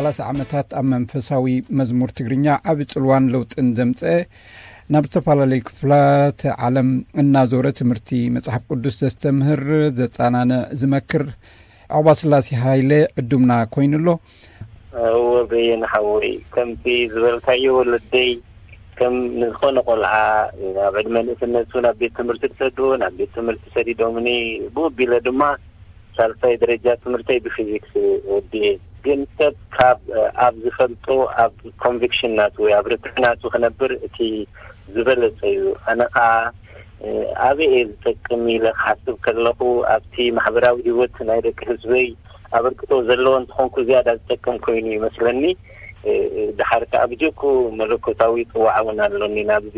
ሰላሳ ዓመታት ኣብ መንፈሳዊ መዝሙር ትግርኛ ዓቢ ጽልዋን ለውጥን ዘምጸ፣ ናብ ዝተፈላለዩ ክፍላት ዓለም እናዞረ ትምህርቲ መጽሓፍ ቅዱስ ዘስተምህር፣ ዘጻናንዕ፣ ዝመክር ዑቕባስላሴ ሃይለ ዕዱምና ኮይኑ ኣሎ። እወ በየነ ሓወይ፣ ከምቲ ዝበልካዮ ወለደይ ከም ንዝኾነ ቆልዓ ኣብ ዕድመ ንእስነቱ ናብ ቤት ትምህርቲ ዝሰድዎ ናብ ቤት ትምህርቲ ሰዲዶምኒ፣ ብኡ ኣቢለ ድማ ሳልሳይ ደረጃ ትምህርተይ ብፊዚክስ ወዲኤ። ግን ሰብ ካብ ኣብ ዝፈልጦ ኣብ ኮንቪክሽን ናቱ ወይ ኣብ ርትዕ ናቱ ክነብር እቲ ዝበለጸ እዩ። ኣነ ኸዓ ኣበይ እየ ዝጠቅም ኢለ ክሓስብ ከለኹ ኣብቲ ማሕበራዊ ህይወት ናይ ደቂ ህዝበይ ኣበርክቶ ዘለዎ እንተኾንኩ ዝያዳ ዝጠቅም ኮይኑ ይመስለኒ። ድሓር ከዓ ብጀኩ መለኮታዊ ጽዋዕ እውን ኣሎኒ ናብዚ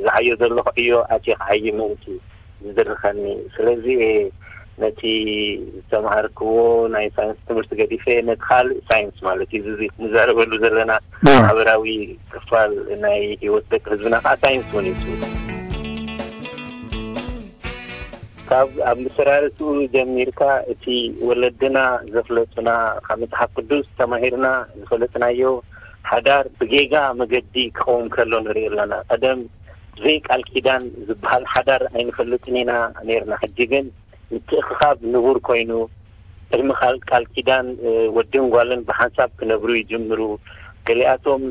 ዝዓዮ ዘለኹ ዕዮ ኣትየ ክዓዪ ምእንቲ ዝድርኸኒ። ስለዚ ነቲ ዝተምሃርክዎ ናይ ሳይንስ ትምህርቲ ገዲፈ ነቲ ካልእ ሳይንስ ማለት እዩ እዚ ንዛረበሉ ዘለና ማሕበራዊ ክፋል ናይ ህይወት ደቂ ህዝብና ከዓ ሳይንስ እውን እዩ። ካብ ኣብ መሰራርትኡ ጀሚርካ እቲ ወለድና ዘፍለጡና ካብ መጽሓፍ ቅዱስ ተማሂርና ዝፈለጥናዮ ሓዳር ብጌጋ መገዲ ክኸውን ከሎ ንርኢ ኣለና። ቀደም ብዘይ ቃል ኪዳን ዝበሃል ሓዳር ኣይንፈልጥን ኢና ነርና። ሕጂ ግን ምትእኽኻብ ንቡር ኮይኑ ቅድሚ ቃል ቃል ኪዳን ወድን ጓልን ብሓንሳብ ክነብሩ ይጅምሩ። ገሊኣቶም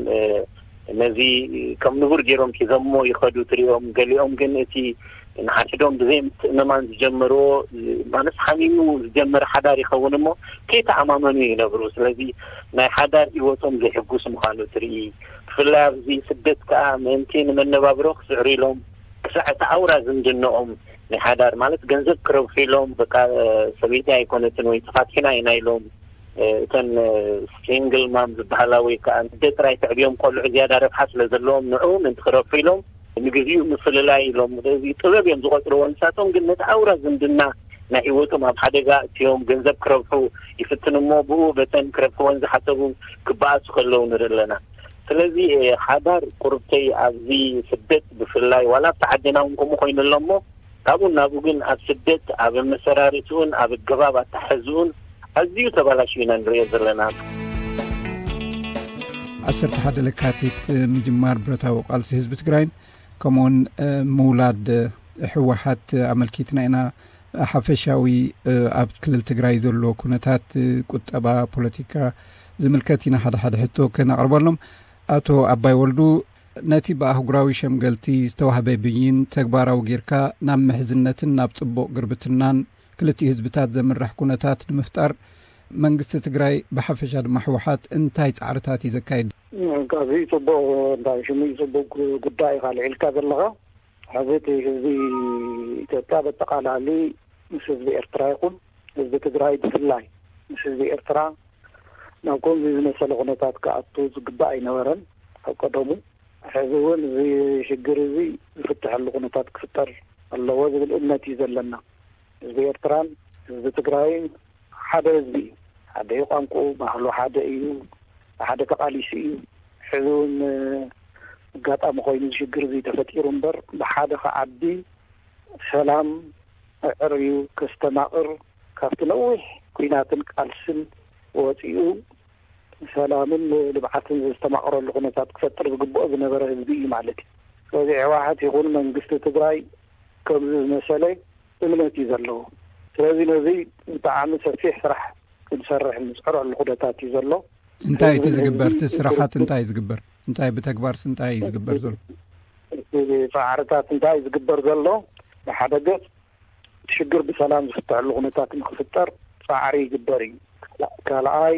ነዚ ከም ንቡር ገይሮም ሒዞሞ ይኸዱ ትሪኦም። ገሊኦም ግን እቲ ንሓድሕዶም ብዘይ ምትእምማን ዝጀመርዎ ማለት ሓሚሙ ዝጀመረ ሓዳር ይኸውን እሞ ከይተኣማመኑ ይነብሩ። ስለዚ ናይ ሓዳር ህይወቶም ዘይሕጉስ ምዃኑ ትርኢ። ብፍላይ ኣብዚ ስደት ከዓ ምእንቲ ንመነባብሮ ክስዕሩ ኢሎም ክሳዕ እቲ ኣውራ ዝምድንኦም ናይ ሓዳር ማለት ገንዘብ ክረብሑ ኢሎም በቃ ሰበይቲ ኣይኮነትን ወይ ተፋቲሕና ኢና ኢሎም እተን ሲንግል ማም ዝበሃላ ወይ ከዓ ንደ ጥራይ ተዕብዮም ቆልዑ ዝያዳ ረብሓ ስለ ዘለዎም ንዑ ምእንቲ ክረብሑ ኢሎም ንግዚኡ ምፍልላይ ኢሎም እዚ ጥበብ እዮም ዝቆፅርዎ። ንሳቶም ግን ነቲ ኣውራ ዝምድና ናይ ህይወቶም ኣብ ሓደጋ እትዮም ገንዘብ ክረብሑ ይፍትን እሞ ብኡ በተን ክረብሕወን ዝሓሰቡ ክበኣሱ ከለዉ ንርኢ ኣለና። ስለዚ ሓዳር ቁርብተይ ኣብዚ ስደት ብፍላይ ዋላ ኣብቲ ዓድና እውን ከምኡ ኮይኑ ኣሎ እሞ ካብኡ ናብኡ ግን ኣብ ስደት ኣብ ኣመሰራርትኡን ኣብ ኣገባብ ኣተሓሕዝኡን ኣዝዩ ተባላሽዩ ኢና ንሪኦ ዘለና። ዓሰርተ ሓደ ለካቲት ምጅማር ብረታዊ ቃልሲ ህዝቢ ትግራይን ከምኡውን ምውላድ ህወሓት ኣመልኪትና ኢና። ሓፈሻዊ ኣብ ክልል ትግራይ ዘሎ ኩነታት ቁጠባ፣ ፖለቲካ ዝምልከት ኢና ሓደ ሓደ ሕቶ ከነቕርበሎም። ኣቶ ኣባይ ወልዱ፣ ነቲ ብኣህጉራዊ ሸምገልቲ ዝተዋህበ ብይን ተግባራዊ ጌርካ ናብ ምሕዝነትን ናብ ጽቡቕ ግርብትናን ክልቲኡ ህዝብታት ዘምርሕ ኩነታት ንምፍጣር መንግስቲ ትግራይ ብሓፈሻ ድማ ህወሓት እንታይ ጻዕርታት እዩ ዘካይድ? ኣዝዩ ጽቡቕ፣ እንታይ ሽሙ እዩ ጽቡቕ ጉዳይ ኢኻ ኣልዒልካ ዘለኻ። ሕዚ እቲ ህዝቢ ኢትዮጵያ በጠቓላሊ ምስ ህዝቢ ኤርትራ ይኹን ህዝቢ ትግራይ ብፍላይ ምስ ህዝቢ ኤርትራ ናብ ከምዚ ዝመሰለ ኩነታት ክኣቱ ዝግባእ ኣይነበረን ኣብ ቀደሙ። ሕዚ እውን እዚ ሽግር እዚ ዝፍትሐሉ ኩነታት ክፍጠር ኣለዎ ዝብል እምነት እዩ ዘለና። ህዝቢ ኤርትራን ህዝቢ ትግራይን ሓደ ህዝቢ እዩ። ሓደ እዩ ቋንቋኡ፣ ባህሉ ሓደ እዩ፣ ብሓደ ተቓሊሱ እዩ። ሕዚ እውን ኣጋጣሚ ኮይኑ እዚ ሽግር እዚ ተፈጢሩ እምበር ብሓደ ክዓቢ ሰላም ኣዕርዩ ከስተማቕር ካብቲ ነዊሕ ኲናትን ቃልስን ወፂኡ ሰላምን ልብዓትን ዘስተማቕረሉ ኩነታት ክፈጥር ዝግብኦ ዝነበረ ህዝቢ እዩ ማለት እዩ። ስለዚ ህወሓት ይኹን መንግስቲ ትግራይ ከምዚ ዝመሰለ እምነት እዩ ዘለዎ። ስለዚ ነዚ ብጣዕሚ ሰፊሕ ስራሕ ክንሰርሕ ንፅዕረሉ ኩነታት እዩ ዘሎ። እንታይ እቲ ህዝቢ ዝግበር? እቲ ህዝቢ ስራሓት እንታይ እዩ ዝግበር? እንታይ ብተግባርስ እንታይ እዩ ዝግበር ዘሎ? እቲ ፃዕርታት እንታይ እዩ ዝግበር ዘሎ? ብሓደ ገፅ እቲ ሽግር ብሰላም ዝፍትሐሉ ኩነታት ንክፍጠር ፃዕሪ ይግበር እዩ። ካልኣይ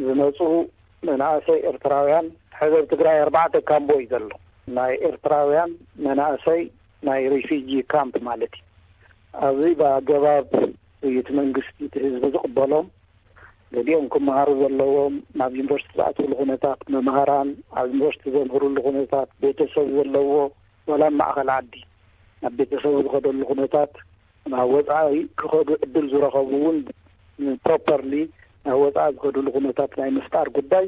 ዝመፁ መናእሰይ ኤርትራውያን፣ ሕዚ ኣብ ትግራይ ኣርባዕተ ካምቦ እዩ ዘሎ። ናይ ኤርትራውያን መናእሰይ ናይ ሪፊጂ ካምፕ ማለት እዩ። ኣብዚ ብኣገባብ እዩ እቲ መንግስቲ እቲ ህዝቢ ዝቕበሎም። ገሊኦም ክመሃሩ ዘለዎም፣ ናብ ዩኒቨርሲቲ ዝኣትውሉ ኩነታት፣ መምሃራን ኣብ ዩኒቨርሲቲ ዘምህርሉ ኩነታት፣ ቤተሰብ ዘለዎ ዋላ ኣብ ማእኸል ዓዲ ናብ ቤተሰቡ ዝኸደሉ ኩነታት፣ ናብ ወፃኢ ክኸዱ ዕድል ዝረኸቡ እውን ፕሮፐርሊ ናብ ወፃኢ ዝኸድሉ ኩነታት ናይ ምፍጣር ጉዳይ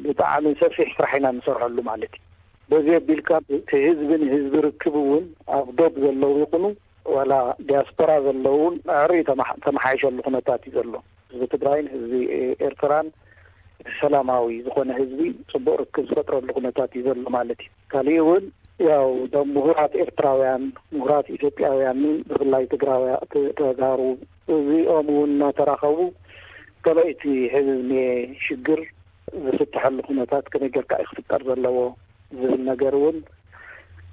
ብጣዕሚ ሰፊሕ ስራሕ ኢና ንሰርሐሉ ማለት እዩ። በዚ ኣቢልካ እቲ ህዝቢ ንህዝቢ ርክብ እውን ኣብ ዶብ ዘለዉ ይኹኑ ዋላ ዲያስፖራ ዘለዉ እውን ኣዕርዩ ተመሓ- ተመሓይሸሉ ኩነታት እዩ ዘሎ። ህዝቢ ትግራይን ህዝቢ ኤርትራን ሰላማዊ ዝኾነ ህዝቢ ጽቡቕ ርክብ ዝፈጥረሉ ኩነታት እዩ ዘሎ ማለት እዩ። ካሊእ እውን ያው እቶም ምሁራት ኤርትራውያን፣ ምሁራት ኢትዮጵያውያን፣ ብፍላይ ትግራውያ-፣ ት-፣ ተጋሩ፣ እዚኦም እውን እናተራኸቡ ከመይ እቲ ህዝቢ ሽግር ዝፍትሐሉ ኩነታት ከመይ ጌርካ እዩ ክፍጠር ዘለዎ ዝብል ነገር እውን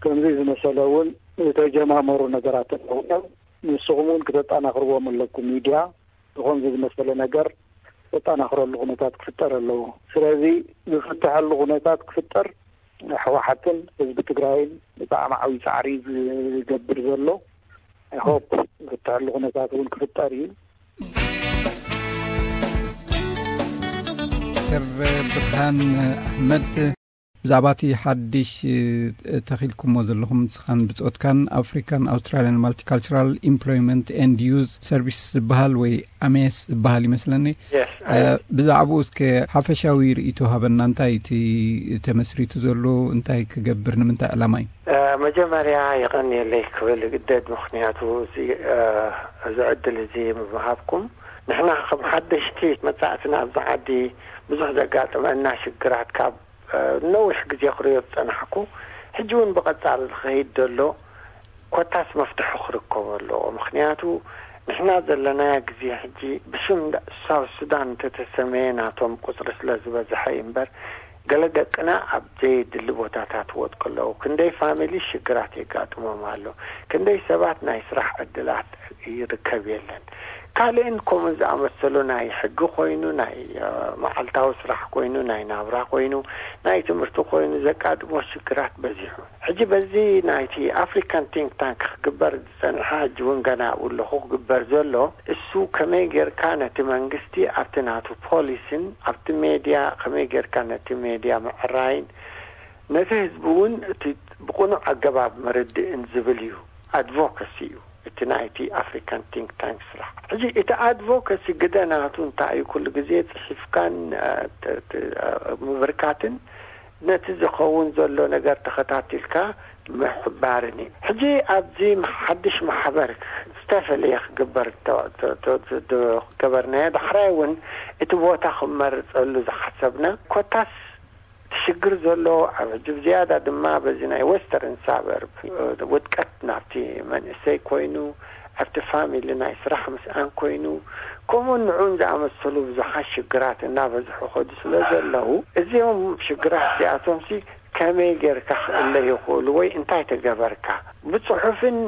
ከምዚ ዝመሰለ እውን ዝተጀማመሩ ነገራት ኣለዉ እዮም። ንስኹም እውን ክተጠናኽርዎም ኣለኩም። ሚድያ ዝኾን ዝመሰለ ነገር ዘጠናኽረሉ ኩነታት ክፍጠር ኣለዎ። ስለዚ ዝፍትሐሉ ኩነታት ክፍጠር ህወሓትን ህዝቢ ትግራይን ብጣዕሚ ዓብዪ ጻዕሪ ዝገብር ዘሎ። I hope ዝፍትሐሉ ኩነታት እውን ክፍጠር እዩ። ዶክተር ብርሃን ኣሕመድ፣ ብዛዕባ እቲ ሓድሽ ተኺልኩሞ ዘለኹም ንስኻን ብጾትካን ኣፍሪካን ኣውስትራሊያን ማልቲካልቸራል ኢምፕሎይመንት ኤንድ ዩዝ ሰርቪስ ዝበሃል ወይ ኣሜስ ዝበሃል ይመስለኒ። ብዛዕባኡ እስከ ሓፈሻዊ ርእይቶ ሃበና። እንታይ እቲ ተመስሪቱ ዘሎ? እንታይ ክገብር? ንምንታይ ዕላማ እዩ? መጀመርያ የቐንየለይ ክብል ግደድ፣ ምኽንያቱ እዚ እዚ ዕድል እዚ ምሃብኩም። ንሕና ከም ሓደሽቲ መጻእትና ኣብዚ ዓዲ ብዙሕ ዘጋጥመና ሽግራት ካብ ነዊሕ ግዜ ክሪኦ ዝጸናሕኩ፣ ሕጂ እውን ብቐጻሊ ዝኸይድ ዘሎ ኮታስ መፍትሒ ክርከቦ ኣለዎ። ምኽንያቱ ንሕና ዘለናዮ ግዜ ሕጂ ብሽም ሳውት ሱዳን እንተተሰመየ ናቶም ቁጽሪ ስለ ዝበዝሐ እዩ እምበር፣ ገለ ደቅና ኣብ ዘየድሊ ቦታታት ወድቁ ኣለዉ። ክንደይ ፋሚሊ ሽግራት የጋጥሞም ኣሎ። ክንደይ ሰባት ናይ ስራሕ ዕድላት ይርከብ የለን። ካልእን ከምኡ ዝኣመሰሉ ናይ ሕጊ ኮይኑ፣ ናይ መዓልታዊ ስራሕ ኮይኑ፣ ናይ ናብራ ኮይኑ፣ ናይ ትምህርቲ ኮይኑ ዘጋጥሞ ሽግራት በዚሑ። ሕጂ በዚ ናይቲ ኣፍሪካን ቲንክ ታንክ ክግበር ዝጸንሐ፣ ሕጂ እውን ገና ኣብኡ ኣለኹ፣ ክግበር ዘሎ እሱ ከመይ ጌርካ ነቲ መንግስቲ ኣብቲ ናቱ ፖሊሲን ኣብቲ ሜድያ ከመይ ጌርካ ነቲ ሜድያ ምዕራይን ነቲ ህዝቢ እውን እቲ ብቕኑዕ ኣገባብ መርድእን ዝብል እዩ፣ ኣድቮካሲ እዩ። እቲ ናይቲ ኣፍሪካን ቲንክ ታንክ ስራሕ። ሕጂ እቲ ኣድቮካሲ ግደ ናቱ እንታይ እዩ? ኩሉ ግዜ ጽሒፍካን ምብርካትን ነቲ ዝኸውን ዘሎ ነገር ተኸታቲልካ ምሕባርን እዩ። ሕጂ ኣብዚ ሓድሽ ማሕበር ዝተፈለየ ክግበር ዝገበርናዮ፣ ዳሕራይ እውን እቲ ቦታ ክመርፀሉ ዝሓሰብና ኮታስ እቲ ሽግር ዘሎ ኣብ ሕጂ ብዝያዳ ድማ በዚ ናይ ወስተርን ሳበርብ ውድቀት ናብቲ መንእሰይ ኮይኑ ኣብቲ ፋሚሊ ናይ ስራሕ ምስኣን ኮይኑ ከምኡውን ንዑን ዝኣመሰሉ ብዙሓት ሽግራት እናበዝሑ ከዱ ስለ ዘለዉ እዚኦም ሽግራት እዚኣቶምሲ ከመይ ጌርካ ክእለ ይኽእሉ ወይ እንታይ ተገበርካ ብፅሑፍን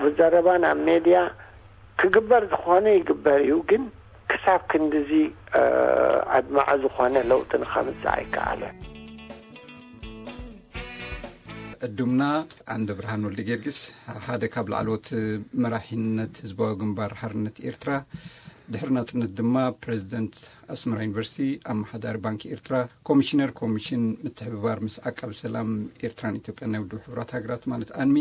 ብዘረባን ኣብ ሜድያ ክግበር ዝኾነ ይግበር እዩ፣ ግን ክሳብ ክንድዚ ኣድማዒ ዝኾነ ለውጢ ንኸምፅእ ኣይከኣለን። ዕዱምና ዓንደ ብርሃን ወልደ ጊዮርጊስ ሓደ ካብ ላዕለዎት መራሒነት ህዝባዊ ግንባር ሓርነት ኤርትራ፣ ድሕሪ ናጽነት ድማ ፕሬዚደንት ኣስመራ ዩኒቨርሲቲ፣ ኣመሓዳሪ ባንኪ ኤርትራ፣ ኮሚሽነር ኮሚሽን ምትሕብባር ምስ ዓቃቢ ሰላም ኤርትራን ኢትዮጵያን ናይ ውድብ ሕቡራት ሃገራት ማለት ኣንሚ፣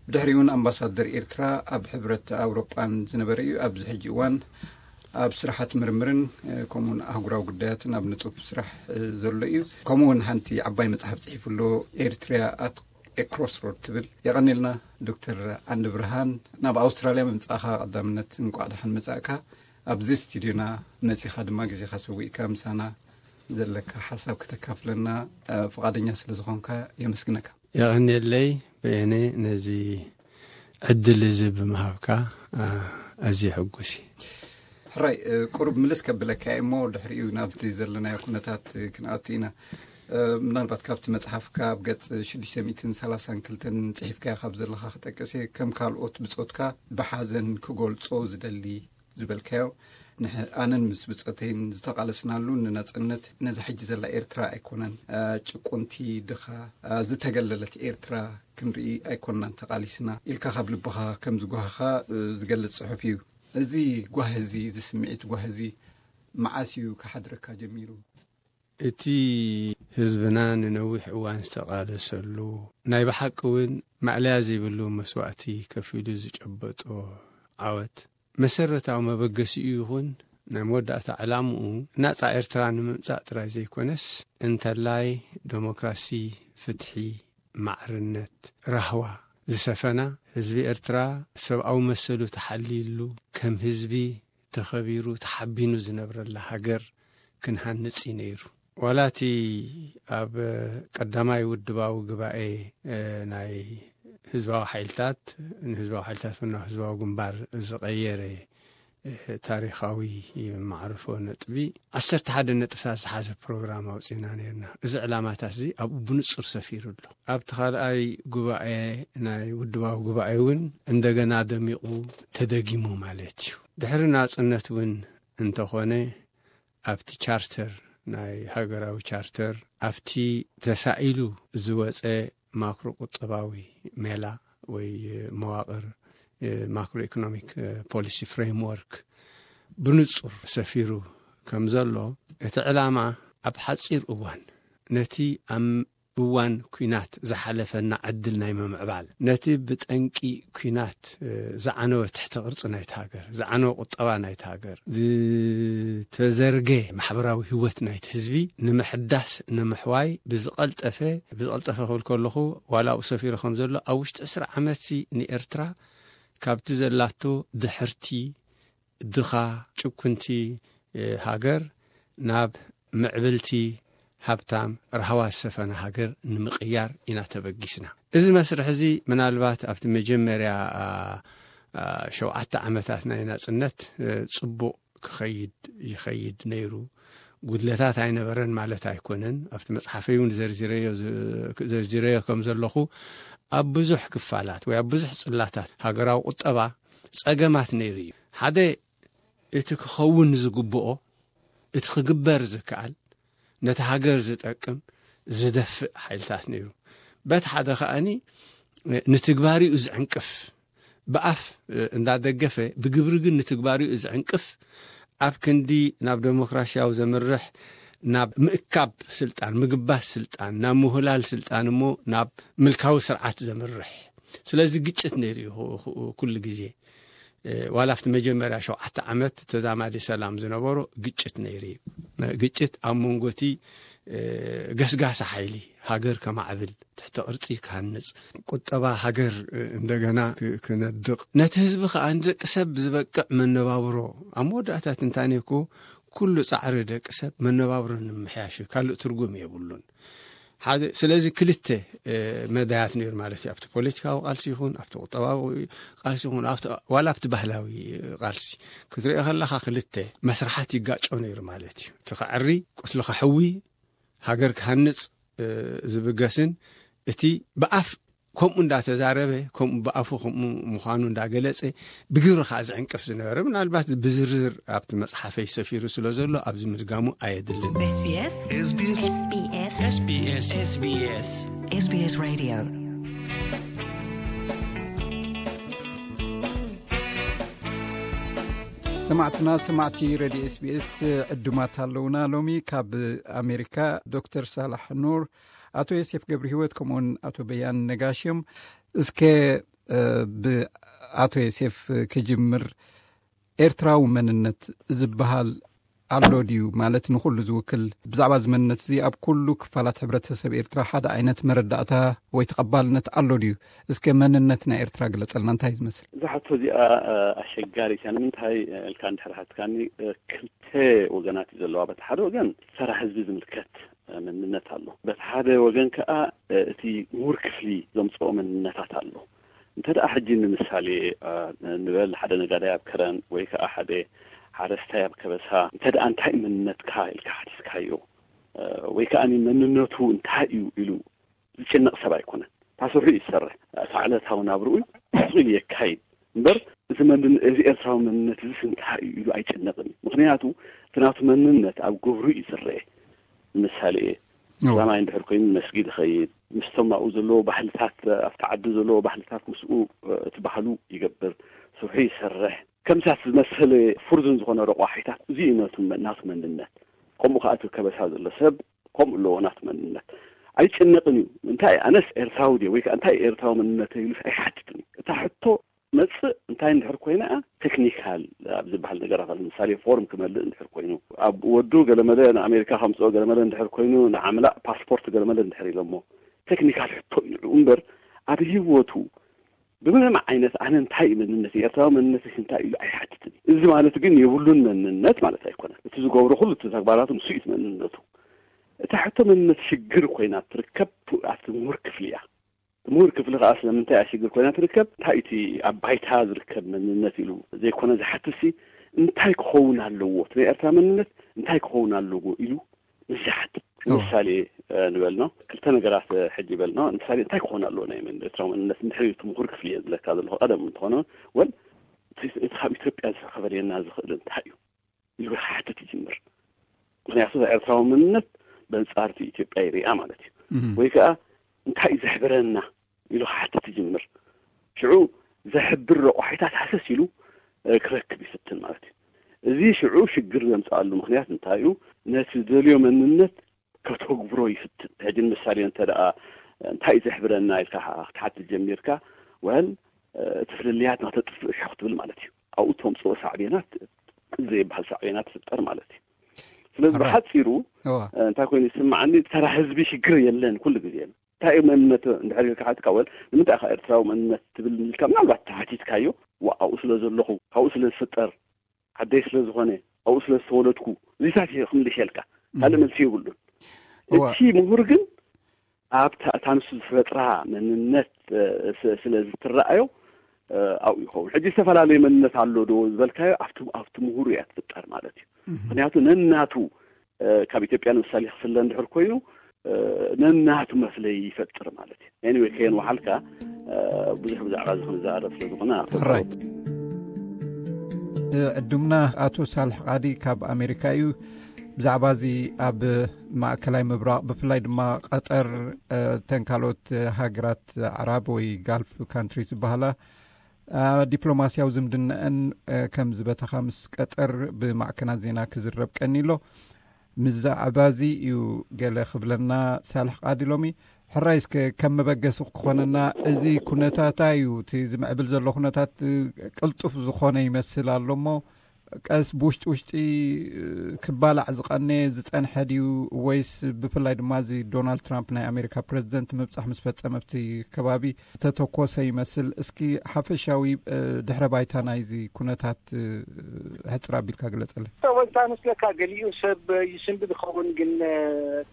ብድሕሪኡ እውን ኣምባሳደር ኤርትራ ኣብ ሕብረት ኣውሮጳን ዝነበረ እዩ። ኣብዚ ሕጂ እዋን ኣብ ስራሓት ምርምርን ከምኡውን ኣህጉራዊ ጉዳያትን ኣብ ንጡፍ ስራሕ ዘሎ እዩ። ከምኡውን ሓንቲ ዓባይ መጽሓፍ ጽሒፉ ኣሎ፣ ኤርትሪያ ኣት ኤ ክሮስሮድ ትብል። የቐንልና ዶክተር ዓንደ ብርሃን፣ ናብ ኣውስትራልያ ምምጻእካ ቀዳምነት እንቋዕ ደሓን መጻእካ። ኣብዚ ስቱድዮና መጺኻ ድማ ግዜኻ ሰዊእካ ምሳና ዘለካ ሓሳብ ከተካፍለና ፍቓደኛ ስለ ዝኾንካ የመስግነካ። የቐንየለይ በየነ ነዚ ዕድል እዚ ብምሃብካ ኣዝየ ሕጉስ እየ። ሕራይ ቁሩብ ምልስ ከብለካ እየ እሞ ድሕሪኡ ናብቲ ዘለናዮ ኩነታት ክንኣቱ ኢና። ምናልባት ካብቲ መጽሓፍካ ኣብ ገጽ ሽዱሽተ ሚእትን ሰላሳን ክልተን ጽሒፍካዮ ካብ ዘለኻ ክጠቅስ እየ። ከም ካልኦት ብጾትካ ብሓዘን ክገልጾ ዝደሊ ዝበልካዮ ኣነን ምስ ብጸተይን ዝተቓለስናሉ ንነጻነት ነዛ ሕጂ ዘላ ኤርትራ ኣይኮነን። ጭቁንቲ፣ ድኻ፣ ዝተገለለት ኤርትራ ክንርኢ ኣይኮንናን ተቓሊስና ኢልካ ካብ ልብኻ ከም ዝጓሃኻ ዝገልጽ ጽሑፍ እዩ። እዚ ጓህ እዚ፣ እዚ ስምዒት ጓህ እዚ መዓስ እዩ ክሓድረካ ጀሚሩ? እቲ ህዝብና ንነዊሕ እዋን ዝተቓለሰሉ፣ ናይ ብሓቂ እውን ማእለያ ዘይብሉ መስዋእቲ ከፊሉ ዝጨበጦ ዓወት፣ መሰረታዊ መበገሲኡ ይኹን ናይ መወዳእታ ዕላምኡ ናጻ ኤርትራ ንምምጻእ ጥራይ ዘይኮነስ፣ እንተላይ ደሞክራሲ፣ ፍትሒ፣ ማዕርነት፣ ራህዋ ዝሰፈና፣ ህዝቢ ኤርትራ ሰብኣዊ መሰሉ ተሓልይሉ፣ ከም ህዝቢ ተኸቢሩ ተሓቢኑ ዝነብረላ ሃገር ክንሃንጽ እዩ ነይሩ። ዋላ እቲ ኣብ ቀዳማይ ውድባዊ ጉባኤ፣ እ፣ ናይ ህዝባዊ ሓይልታት፣ ንህዝባዊ ሓይልታት፣ ናብ ህዝባዊ ግንባር ዝቐየረ፣ እ፣ ታሪኻዊ መዕርፎ ነጥቢ፣ ዓሰርተ ሓደ ነጥብታት ዝሓዘ ፕሮግራም ኣውጺእና ነይርና። እዚ ዕላማታት እዚ ኣብኡ ብንጹር ሰፊሩ ኣሎ። ኣብቲ ካልኣይ ጉባኤ፣ ናይ ውድባዊ ጉባኤ እውን እንደገና ደሚቑ ተደጊሙ ማለት እዩ። ድሕሪ ናጽነት እውን እንተኾነ፣ ኣብቲ ቻርተር፣ ናይ ሃገራዊ ቻርተር፣ ኣብቲ ተሳኢሉ ዝወጸ ማክሮ ቁጠባዊ ሜላ ወይ መዋቕር፣ ማክሮ ኢኮኖሚክ ፖሊሲ ፍሬምወርክ ብንጹር ሰፊሩ ከም ዘሎ፣ እቲ ዕላማ ኣብ ሓጺር እዋን ነቲ ኣብ እዋን ኲናት ዝሓለፈና ዕድል ናይ ምምዕባል፣ ነቲ ብጠንቂ ኲናት፣ እ፣ ዝዓነወ ትሕቲ ቅርጺ ናይታ ሃገር፣ ዝዓነወ ቁጠባ ናይታ ሃገር፣ ዝተዘርገ ማሕበራዊ ህይወት ናይቲ ህዝቢ ንምሕዳስ፣ ንምሕዋይ ብዝቐልጠፈ፣ ብዝቐልጠፈ ክብል ከለኹ፣ ዋላ ኣብኡ ሰፊሩ ከም ዘሎ፣ ኣብ ውሽጢ ዕስራ ዓመትሲ ንኤርትራ ካብቲ ዘላቶ ድሕርቲ፣ ድኻ፣ ጭኩንቲ፣ እ፣ ሃገር ናብ ምዕብልቲ፣ ሃብታም፣ ራህዋ ዝሰፈነ ሃገር ንምቕያር ኢና ተበጊስና። እዚ መስርሕ እዚ ምናልባት ኣብቲ መጀመርያ፣ አ፣ አ፣ ሸውዓተ ዓመታት ናይ ናጽነት፣ እ፣ ጽቡቕ ክኸይድ ይኸይድ ነይሩ። ጉድለታት ኣይነበረን ማለት ኣይኮነን። ኣብቲ መጽሓፈይ እውን ዘርዚረዮ ዝ-፣ ዘርዚረዮ ከም ዘለኹ፣ ኣብ ብዙሕ ክፋላት ወይ ኣብ ብዙሕ ጽላታት ሃገራዊ ቁጠባ ጸገማት ነይሩ እዩ። ሓደ፣ እቲ ክኸውን ዝግብኦ፣ እቲ ክግበር ዝከኣል፣ ነቲ ሃገር ዝጠቅም፣ ዝደፍእ ሓይልታት ነይሩ። በቲ ሓደ ከኣኒ፣ ንትግባሪኡ ዝዕንቅፍ፣ ብኣፍ እንዳደገፈ፣ ብግብሪ ግን ንትግባሪኡ ዝዕንቅፍ፣ ኣብ ክንዲ ናብ ደሞክራሲያዊ ዘምርሕ፣ ናብ ምእካብ ስልጣን፣ ምግባስ ስልጣን፣ ናብ ምሁላል ስልጣን እሞ ናብ ምልካዊ ስርዓት ዘምርሕ። ስለዚ ግጭት ነይሩ እዩ ኩ-፣ ኩ-፣ ኩሉ ግዜ። እ፣ ዋላ ኣብቲ መጀመርያ ሸውዓተ ዓመት ተዛማዲ ሰላም ዝነበሮ ግጭት ነይሩ እዩ። ግጭት ኣብ መንጎ እቲ፣ እ፣ ገስጋሲ ሓይሊ ሃገር ከማዕብል፣ ትሕቲ ቅርጺ ክሃንጽ፣ ቁጠባ ሃገር፣ እ፣ እንደገና ክ-፣ ክነድቕ፣ ነቲ ህዝቢ ከኣ ንደቂ ሰብ ዝበቅዕ መነባብሮ፣ ኣብ መወዳእታ ትንታኔ እኮ ኩሉ ጻዕሪ ደቂ ሰብ መነባብሮ ንምምሕያሽ እዩ፣ ካልእ ትርጉም የብሉን። ሓደ፣ ስለዚ ክልተ፣ እ፣ መዳያት ነይሩ ማለት እዩ። ኣብቲ ፖለቲካዊ ቃልሲ ይኹን፣ ኣብቲ ቁጠባዊ ቃልሲ ይኹን፣ ኣብቲ፣ ዋላ ኣብቲ ባህላዊ ቃልሲ ክትሪኦ ከለኻ ክልተ መስርሓት ይጋጮ ነይሩ ማለት እዩ። እቲ ከዕሪ፣ ቁስሊ ከሕዊ፣ ሃገር ክሃንጽ፣ እ፣ ዝብገስን እቲ ብኣፍ ከምኡ እንዳተዛረበ፣ ከምኡ ብኣፉ ከምኡ ምዃኑ እንዳገለጸ፣ ብግብሪ ከኣ ዝዕንቅፍ ዝነበረ፣ ምናልባት ብዝርዝር ኣብቲ መጽሓፈይ ሰፊሩ ስለ ዘሎ፣ ኣብዚ ምድጋሙ ኣየድልን። ኤስቢኤስ። ኤስቢኤስ። ኤስቢኤስ። ኤስቢኤስ። ኤስቢኤስ። ኤስቢኤስ ሬድዮ። ሰማዕትና፣ ሰማዕቲ ሬድዮ ኤስቢኤስ ዕዱማት ኣለውና። ሎሚ ካብ ኣሜሪካ ዶክተር ሳላሕ ኑር፣ ኣቶ ዮሴፍ ገብረ ህይወት፣ ከምኡውን ኣቶ በያን ነጋሽ እዮም። እስከ፣ እ፣ ብኣቶ ዮሴፍ ክጅምር። ኤርትራዊ መንነት ዝበሃል ኣሎ ድዩ? ማለት ንኹሉ ዝውክል፣ ብዛዕባ እዚ መንነት እዚ ኣብ ኩሉ ክፋላት ሕብረተሰብ ኤርትራ ሓደ ዓይነት መረዳእታ ወይ ተቐባልነት ኣሎ ድዩ? እስከ መንነት ናይ ኤርትራ ግለጸልና፣ እንታይ እዩ ዝመስል? እዛ ሕቶ እዚኣ፣ እ፣ ኣሸጋሪት እያ። ንምንታይ ኢልካ እንድሕር ሓትካኒ፣ እ፣ ክልተ ወገናት እዩ ዘለዋ። በቲ ሓደ ወገን ተራ ህዝቢ ዝምልከት፣ እ፣ መንነት ኣሎ። በቲ ሓደ ወገን ከኣ፣ እ፣ እቲ ምሁር ክፍሊ ዘምጽኦ መንነታት ኣሎ። እንተ ደኣ ሕጂ ንምሳሌ፣ እ፣ ንበል ሓደ ነጋዳይ ኣብ ከረን ወይ ከኣ ሓደ ሓረስታይ ኣብ ከበሳ፣ እንተ ደኣ እንታይ መንነትካ ኢልካ ሓቲትካዮ፣ እ፣ ወይ ከኣ መንነቱ እንታይ እዩ ኢሉ ዝጭነቕ ሰብ ኣይኮነን። እታ ስርሑ እዩ ዝሰርሕ። እታ ዕለታዊ ናብርኡ ስቕ ኢሉ የካይድ እምበር፣ እዚ መንነ-፣ እዚ ኤርትራዊ መንነት እዚስ እንታይ እዩ ኢሉ ኣይጭነቕን እዩ። ምኽንያቱ፣ እቲ ናቱ መንነት ኣብ ግብሩ እዩ ዝረአ። ንምሳሌ፣ እዎ። ላማይ እንድሕር ኮይኑ መስጊድ ይኸይድ፣ ምስቶም ኣብኡ ዘለዉ ባህልታት፣ ኣብቲ ዓዲ ዘለዉ ባህልታት ምስኡ፣ እ፣ እቲ ባህሉ ይገብር፣ ስርሑ ይሰርሕ። ከምሳት ዝመሰለ ፍርዱን ዝኾነ ረቋሒታት፣ እዚ እዩ ነቱ መ-፣ ናቱ መንነት። ከምኡ ከኣ እቲ ከበሳ ዘሎ ሰብ ከምኡ ኣለዎ ናቱ መንነት። ኣይጭነቕን እዩ። እንታይ ኣነስ ኤርትራዊ ድየ ወይ ከኣ እንታይ ኤርትራዊ መንነት ኢሉስ ኣይሓትትን እዩ። እታ ሕቶ መጽእ እንታይ እንድሕር ኮይና፣ ቴክኒካል ኣብ ዝበሃል ነገራት፣ ኣብ ምሳሌ ፎርም ክመልእ እንድሕር ኮይኑ፣ ኣብ ወዱ ገለመለ ንኣሜሪካ ከምጽኦ ገለመለ እንድሕር ኮይኑ፣ ንዓምላእ ፓስፖርት ገለመለ እንድሕር ኢሎሞ፣ ቴክኒካል ሕቶ እዩ ንዕኡ እምበር፣ ኣብ ህይወቱ ብምንም ዓይነት ኣነ እንታይ እዩ መንነት፣ ኤርትራዊ መንነት እንታይ እዩ ኣይሓትትን። እዚ ማለት ግን የብሉን መንነት ማለት ኣይኮነን። እቲ ዝገብሮ ኩሉ እቲ ተግባራቱ ንሱ እዩ መንነቱ። እታ ሕቶ መንነት ሽግር ኮይና ትርከብ ኣብቲ ምሁር ክፍሊ እያ። ምሁር ክፍሊ ከዓ ስለምንታይ እያ ሽግር ኮይና ትርከብ? እንታይ እቲ ኣብ ባይታ ዝርከብ መንነት ኢሉ ዘይኮነ ዝሓትሲ፣ እንታይ ክኸውን ኣለዎ፣ እቲ ናይ ኤርትራ መንነት እንታይ ክኸውን ኣለዎ ኢሉ ምስ ዝሓትት። ምሳሌ ንበልኖ ክልተ ነገራት ሕጂ ይበልኖ። ምሳሌ እንታይ ክኾን ኣለዎ ናይ መን ኤርትራዊ መንነት እንድሕር እቲ ምሁር ክፍሊ እየ ዝብለካ ዘለኹ ቀደም እንተኾነ፣ ወል እቲ ካብ ኢትዮጵያ ዝኸበልየና ዝኽእል እንታይ እዩ ኢሉ ክሓትት ይጅምር። ምክንያቱ ኤርትራዊ መንነት በንጻርቲ ኢትዮጵያ ይሪኣ ማለት እዩ። ወይ ከዓ እንታይ እዩ ዘሕብረና ኢሉ ክሓትት ይጅምር። ሽዑ ዘሕብር ረቋሒታት ሃሰስ ኢሉ ክረክብ ይፍትን ማለት እዩ። እዚ ሽዑ ሽግር ዘምፅኣሉ ምክንያት እንታይ እዩ? ነቲ ዝደልዮ መንነት ከተግብሮ ይፍትን። ሕጂ ንምሳሌ እንተ ደኣ እንታይ እዩ ዘሕብረና ኢልካ ክትሓትት ጀሚርካ፣ ወል እቲ ፍልልያት ናተጥፍእ ሸኹ ትብል ማለት እዩ። ኣብኡ ተምፅኦ ሳዕቤናት ዘይበሃል ሳዕቤናት ትፍጠር ማለት እዩ። ስለዚ ብሓፂሩ እንታይ ኮይኑ ይስምዓኒ፣ ተራ ህዝቢ ሽግር የለን ኩሉ ግዜ። እንታይ እዩ መንነት እንድሕር ኢልካ ሓትካ፣ ወል ንምንታይ ኢኻ ኤርትራዊ መንነት ትብል ኢልካ ምናልባት ተሓቲትካዮ፣ ኣብኡ ስለ ዘለኹ፣ ካብኡ ስለ ዝፍጠር፣ ዓደይ ስለ ዝኾነ፣ ኣብኡ ስለ ዝተወለድኩ፣ እዚታት ክምልሸልካ ካልእ መልሲ የብሉን። እቲ ምሁር ግን ኣብታ እታ ንሱ ዝፈጥራ መንነት ስለ ዝትረኣዮ ኣብኡ ይኸውን። ሕጂ ዝተፈላለየ መንነት ኣሎ ዶ ዝበልካዮ ኣብቲ ኣብቲ ምሁር እያ ትፍጠር ማለት እዩ። ምክንያቱ ነናቱ ካብ ኢትዮጵያ ንምሳሌ ክፍለ እንድሕር ኮይኑ ነናቱ መፍለይ ይፈጥር ማለት እዩ። ኤኒወይ ከየን ወሓልካ ብዙሕ ብዛዕባ እዚ ክንዛረብ ስለ ዝኾነ ራይት። ዕዱምና ኣቶ ሳልሕ ቃዲ ካብ ኣሜሪካ እዩ። ብዛዕባ እዚ ኣብ ማእከላይ ምብራቕ ብፍላይ ድማ ቀጠር፣ ተን ካልኦት ሃገራት ዓራብ ወይ ጋልፍ ካንትሪ ዝበሃላ ዲፕሎማስያዊ ዝምድናአን ከም ዝበተኻ ምስ ቀጠር ብማዕከናት ዜና ክዝረብ ቀኒሎ። ብዛዕባ እዚ እዩ ገለ ክብለና ሳልሕ ቃዲ ሎሚ። ሕራይ እስከ ከም መበገሲ ክኾነና፣ እዚ ኩነታታ እዩ፣ እቲ ዝምዕብል ዘሎ ኩነታት ቅልጡፍ ዝኾነ ይመስል ኣሎ እሞ፣ ቀስ ብውሽጢ ውሽጢ ክባላዕ ዝቐነየ ዝጸንሐ ድዩ፣ ወይስ ብፍላይ ድማ እዚ ዶናልድ ትራምፕ ናይ ኣሜሪካ ፕረዚደንት ምብጻሕ ምስ ፈጸመ ኣብቲ ከባቢ ተተኮሰ ይመስል? እስኪ ሓፈሻዊ ድሕረ ባይታ ናይዚ ኩነታት ሕጽር ኣቢልካ ግለጸለይ። ወንታ መስለካ ገሊኡ ሰብ ይስንብድ ይኸውን፣ ግን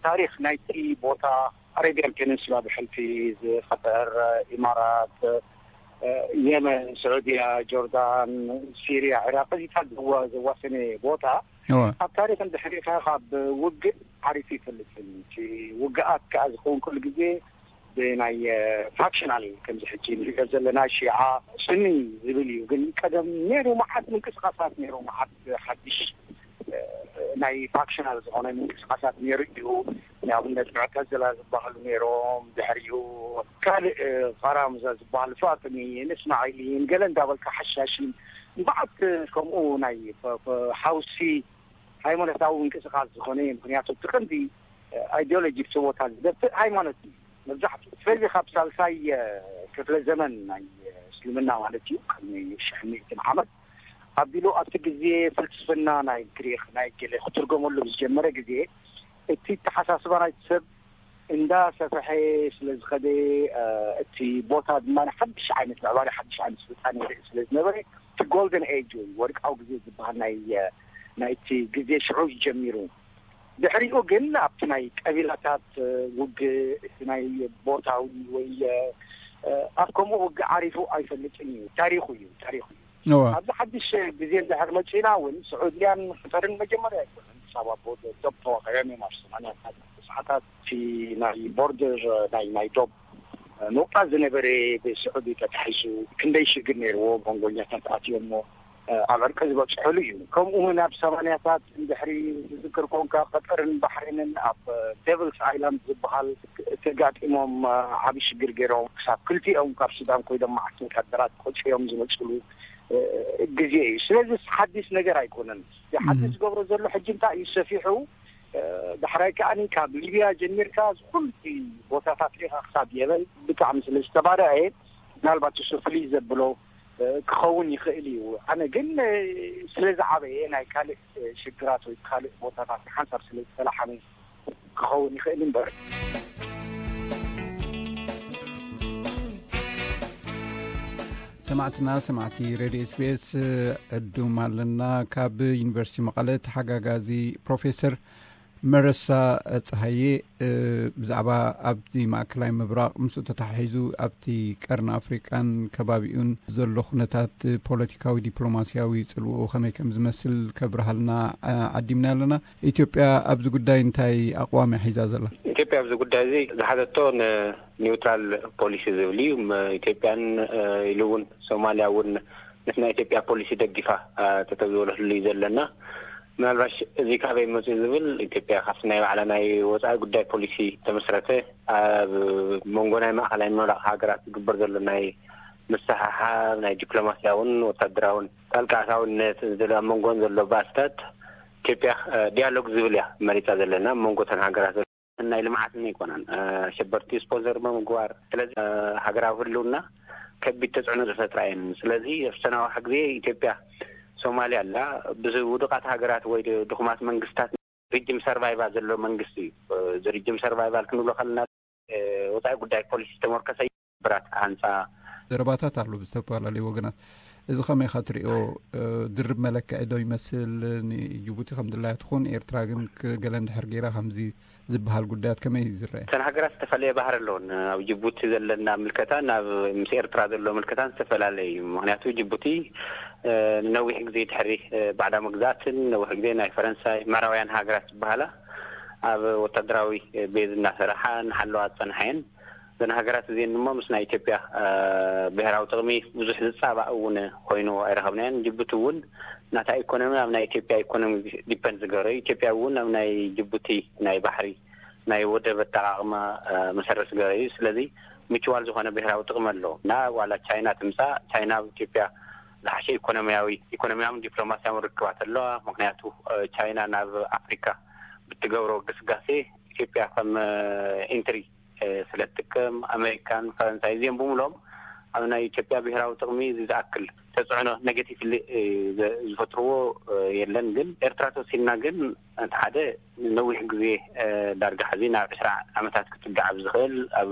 ታሪኽ ናይቲ ቦታ ኣረቢያን ፔኒንሱላ ብሕልፊ ዝፈጠር ኢማራት፣ የመን፣ ስዑድያ፣ ጆርዳን፣ ሲርያ፣ ዒራቅ እዚታት ዘዋሰነ ቦታ ኣብ ታሪክ እንድሕሪካ ካብ ውግእ ዓሪፉ ይፈልጥን። እቲ ውግኣት ከዓ ዝኸውን ኩሉ ግዜ ብናይ ፋክሽናል ከምዚ ሕጂ ንሪኦ ዘለና ሺዓ ሱኒ ዝብል እዩ። ግን ቀደም ነይሩ መዓት ምንቅስቃሳት ነይሩ፣ መዓት ሓድሽ ናይ ፋክሽናል ዝኾነ ምንቅስቃሳት ነይሩ እዩ። ንኣብነት ሙዕተዝላ ዝበሃሉ ነይሮም፣ ድሕሪኡ ካልእ ፋራምዛ ዝበሃል ፋጥሚን እስማዒሊን ገለ እንዳበልካ ሓሻሽን መዓት ከምኡ ናይ ሓውሲ ሃይማኖታዊ ምንቅስቃስ ዝኾነ እዩ። ምክንያቱ እቲ ቀንዲ ኣይዲዮሎጂ ብስቦታ ዝደፍእ ሃይማኖት እዩ መብዛሕትኡ። ስለዚ ካብ ሳልሳይ ክፍለ ዘመን ናይ እስልምና ማለት እዩ፣ ቅድሚ ሽሕ ሚእትን ዓመት ኣቢሉ ኣብቲ ግዜ ፍልስፍና ናይ ግሪክ ናይ ገለ ክትርጎመሉ ብዝጀመረ ግዜ እቲ ተሓሳስባ ናይቲ ሰብ እንዳሰፈሐ ስለ ዝኸደ እቲ ቦታ ድማ ሓድሽ ዓይነት ምዕባለ ሓድሽ ዓይነት ስልጣን ይርኢ ስለ ዝነበረ እቲ ጎልደን ኤጅ ወይ ወርቃዊ ግዜ ዝበሃል ናይ ናይቲ ግዜ ሽዑ እዩ ጀሚሩ። ድሕሪኡ ግን ኣብቲ ናይ ቀቢላታት ውግእ እቲ ናይ ቦታዊ ወይ ኣብ ከምኡ ውግእ ዓሪፉ ኣይፈልጥን እዩ። ታሪኹ እዩ፣ ታሪኹ እዩ። ኣብዚ ሓድሽ ግዜ እንድሕር መፂና እውን ስዑድያን ቀጠርን መጀመርያ ኣይኮነን ክሳብ ኣብ ዶብ ተዋቂዖም እዮም ኣብ ሰማንያታት ሰዓታት እቲ ናይ ቦርደር ናይ ናይ ዶብ ኖቃ ዝነበረ ብስዑዲ ተታሒዙ ክንደይ ሽግር ነይርዎ መንጎኛታት ኣትዮሞ ኣብ ዕርቂ ዝበፅሐሉ እዩ። ከምኡ እውን ኣብ ሰማንያታት እንድሕሪ ዝዝክር ኮንካ ቀጠርን ባሕሬንን ኣብ ዴቭልስ ኣይላንድ ዝበሃል ተጋጢሞም ዓብዪ ሽግር ገይሮም ክሳብ ክልቲኦም ካብ ሱዳን ኮይዶም መዓት ወታደራት ቆፅዮም ዝመፅሉ ግዜ እዩ። ስለዚ ሓዲስ ነገር ኣይኮነን። ሓዲስ ዝገብሮ ዘሎ ሕጂ እንታይ እዩ ሰፊሑ ዳሕራይ ከዓኒ ካብ ሊብያ ጀሚርካ ዝኩሉ ቦታታት ሪኻ ክሳብ የመን ብጣዕሚ ስለ ዝተባረዐ ምናልባት እሱ ፍልይ ዘብሎ ክኸውን ይኽእል እዩ። ኣነ ግን ስለ ዝዓበየ ናይ ካልእ ሽግራት ወይ ካልእ ቦታታት ሓንሳብ ስለ ዝተላሓመ ክኸውን ይኽእል እምበር። ሰማዕትና ሰማዕቲ ሬድዮ ኤስቢኤስ ዕዱም ኣለና። ካብ ዩኒቨርሲቲ መቐለ ተሓጋጋዚ ፕሮፌሰር መረሳ ፀሃየ ብዛዕባ ኣብቲ ማእከላይ ምብራቕ ምስኡ ተተሓሒዙ ኣብቲ ቀርኒ ኣፍሪቃን ከባቢኡን ዘሎ ኩነታት ፖለቲካዊ ዲፕሎማሲያዊ ፅልውኡ ከመይ ከም ዝመስል ከብርሃልና ዓዲምና ኣለና። ኢትዮጵያ ኣብዚ ጉዳይ እንታይ ኣቕዋም እያ ሒዛ ዘላ? ኢትዮጵያ ኣብዚ ጉዳይ እዚ ዝሓዘቶ ኒውትራል ፖሊሲ ዝብል እዩ። ኢትዮጵያን ኢሉ እውን ሶማልያ እውን ነቲ ናይ ኢትዮጵያ ፖሊሲ ደጊፋ ተተብዝበለሉ እዩ ዘለና። ምናልባሽ እዚ ካበይ መፅኡ ዝብል ኢትዮጵያ ካብቲ ናይ ባዕላ ናይ ወፃኢ ጉዳይ ፖሊሲ ተመስረተ ኣብ መንጎ ናይ ማእኸላይ ምብራቕ ሃገራት ዝግበር ዘሎ ናይ ምስሕሓብ ናይ ዲፕሎማሲያውን ወታደራውን ጣልቃ ኣታውነት ዘሎ ኣብ መንጎን ዘሎ ባእስታት ኢትዮጵያ ዲያሎግ ዝብል እያ መሪፃ ዘለና ኣብ መንጎ ተን ሃገራት ናይ ልምዓትን ኣይኮነን። ሸበርቲ ስፖንሰር ብምግባር ስለዚ ሃገራዊ ህልውና ከቢድ ተፅዕኖ ዝፈጥራ እየን። ስለዚ ኣብ ሰናዋሕ ግዜ ኢትዮጵያ ሶማሊያ ኣላ ብውዱቃት ሃገራት ወይ ድኹማት መንግስታት ሪጅም ሰርቫይቫል ዘሎ መንግስቲ እዩ። እዚ ሪጅም ሰርቫይቫል ክንብሎ ከለና ወፃኢ ጉዳይ ፖሊሲ ዝተመርኮሰ ብራት ክሃንፃ ዘረባታት ኣሎ ብዝተፈላለዩ ወገናት። እዚ ከመይ ኢኻ ትሪኦ? ድርብ መለክዒ ዶ ይመስል? ንጅቡቲ ከም ድላያ ትኹን ኤርትራ ግን ገለ እንድሕር ገይራ ከምዚ ዝበሃል ጉዳያት ከመይ እዩ ዝረአ? እተን ሃገራት ዝተፈላለየ ባህሪ ኣለዎን። ኣብ ጅቡቲ ዘለና ምልከታ ናብ ምስ ኤርትራ ዘሎ ምልከታን ዝተፈላለየ እዩ። ምክንያቱ ጅቡቲ ንነዊሕ ግዜ ድሕሪ ባዕዳ መግዛእትን ነዊሕ ግዜ ናይ ፈረንሳይ ምዕራባውያን ሃገራት ዝበሃላ ኣብ ወታደራዊ ቤዝ እናሰራሓ እናሓለዋ ዝፀንሓ እየን። እዘን ሃገራት እዚአን ድማ ምስ ናይ ኢትዮጵያ ብሄራዊ ጥቕሚ ብዙሕ ዝፃባእ እውን ኮይኑ ኣይረኸብናዮን። ጅቡቲ እውን ናታ ኢኮኖሚ ኣብ ናይ ኢትዮጵያ ኢኮኖሚ ዲፐንድ ዝገበረ እዩ። ኢትዮጵያ እውን ኣብ ናይ ጅቡቲ ናይ ባሕሪ ናይ ወደብ ኣጠቃቅማ መሰረት ዝገበረ እዩ። ስለዚ ምችዋል ዝኾነ ብሄራዊ ጥቕሚ ኣለዎ እና ዋላ ቻይና ትምፃእ ቻይና ኣብ ኢትዮጵያ ዝሓሸ ኢኮኖሚያዊ ኢኮኖሚያውን ዲፕሎማሲያውን ርክባት ኣለዋ። ምክንያቱ ቻይና ናብ ኣፍሪካ ብትገብሮ ግስጋሴ ኢትዮጵያ ከም ኢንትሪ ስለ ትጥቀም ኣሜሪካን ፈረንሳይ እዚኦም ብምሎም ኣብ ናይ ኢትዮጵያ ብሄራዊ ጥቕሚ እዚ ዝኣክል ተፅዕኖ ኔጌቲቭ ዝፈጥርዎ የለን። ግን ኤርትራ ተወሲድና ግን እቲ ሓደ ነዊሕ ግዜ ዳርጋ ሕዚ ናብ ዕስራ ዓመታት ክትፅጋዕ ኣብ ዝኽእል ኣብ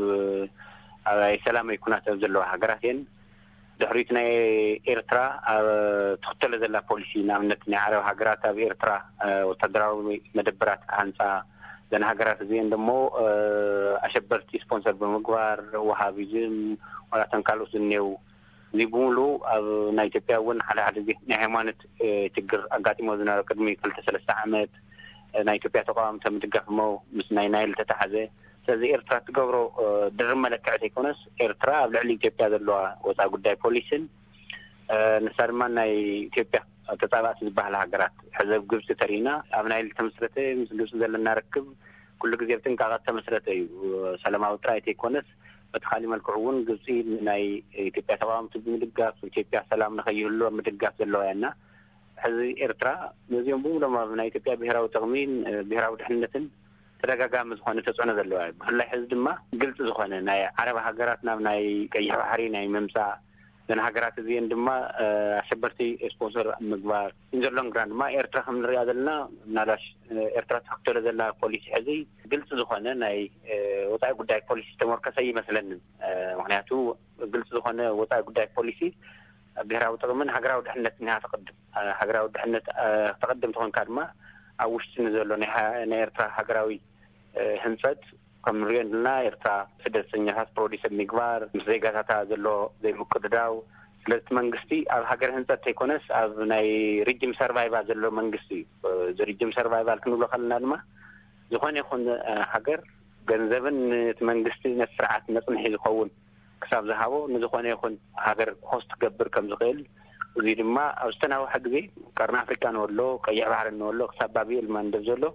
ሰላማዊ ኩናት ኣብ ዘለዋ ሃገራት እየን። ድሕሪት ናይ ኤርትራ ኣብ ትኽተሎ ዘላ ፖሊሲ ንኣብነት ናይ ዓረብ ሃገራት ኣብ ኤርትራ ወታደራዊ መደበራት ክሃንፃ ዘን ሃገራት እዚአን ደሞ ኣሸበርቲ ስፖንሰር ብምግባር ወሃቢዝም ዋላ ተን ካልኦት ዝኔው እዚ ብምሉ ኣብ ናይ ኢትዮጵያ እውን ሓደ ሓደ ዜ ናይ ሃይማኖት ችግር ኣጋጢሞ ዝነበረ ቅድሚ ክልተ ሰለስተ ዓመት ናይ ኢትዮጵያ ተቃዋምቲ ምድጋፍ ሞ ምስ ናይ ናይል ተታሓዘ። ስለዚ ኤርትራ ትገብሮ ድርብ መለክዒ ዘይኮነስ ኤርትራ ኣብ ልዕሊ ኢትዮጵያ ዘለዋ ወፃኢ ጉዳይ ፖሊስን ንሳ ድማ ናይ ኢትዮጵያ ተፃባእቲ ዝበሃላ ሃገራት ሕዘብ ግብፂ ተሪእና ኣብ ናይል ተመስረተ ምስ ግብፂ ዘለና ርክብ ኩሉ ግዜ ብጥንቃቐ ተመስረተ እዩ። ሰላማዊ ጥራይ ዘይኮነስ በቲ ካሊእ መልክዑ እውን ግብፂ ናይ ኢትዮጵያ ተቃዋምቲ ብምድጋፍ ኢትዮጵያ ሰላም ንኸይህሉ ኣብ ምድጋፍ ዘለዋ እያ እና ሕዚ ኤርትራ ነዚኦም ብምሎም ኣብ ናይ ኢትዮጵያ ብሄራዊ ጥቕሚን ብሄራዊ ድሕንነትን ተደጋጋሚ ዝኾነ ተፅዕኖ ዘለዋ እዩ። ብፍላይ ሕዚ ድማ ግልፂ ዝኾነ ናይ ዓረብ ሃገራት ናብ ናይ ቀይሕ ባሕሪ ናይ ምምፃእ ዘን ሃገራት እዚአን ድማ ኣሸበርቲ ስፖንሰር ምግባር ኢንዘሎንግ ራን ድማ ኤርትራ ከም ንሪኣ ዘለና ምናልባሽ ኤርትራ ትክተሎ ዘላ ፖሊሲ ሕዚ ግልፂ ዝኾነ ናይ ወፃኢ ጉዳይ ፖሊሲ ዝተመርኮሰ ይመስለንን። ምክንያቱ ግልፂ ዝኾነ ወፃኢ ጉዳይ ፖሊሲ ብሄራዊ ጥቕምን ሃገራዊ ድሕነት ኒሃ ተቐድም ሃገራዊ ድሕነት ተቐድም ተኾንካ ድማ ኣብ ውሽጢ ንዘሎ ናይ ኤርትራ ሃገራዊ ህንፀት ከም ንሪኦ ዘለና ኤርትራ ስደተኛታት ፕሮዲስ ኣብ ምግባር ምስ ዜጋታታ ዘሎ ዘይምቅድዳው ስለዚ መንግስቲ ኣብ ሃገር ህንፀት ተይኮነስ ኣብ ናይ ሪጅም ሰርቫይቫል ዘሎ መንግስቲ እዩ። እዚ ሪጅም ሰርቫይቫል ክንብሎ ከለና ድማ ዝኾነ ይኹን ሃገር ገንዘብን ነቲ መንግስቲ ነቲ ስርዓት መፅንሒ ዝኸውን ክሳብ ዝሃቦ ንዝኾነ ይኹን ሃገር ሆስት ክገብር ከም ዝኽእል እዚ ድማ ኣብ ዝተናውሐ ግዜ ቀርኒ ኣፍሪካ ንወሎ ቀይሕ ባሕሪ ንወሎ ክሳብ ባብኤል ማንደብ ዘሎ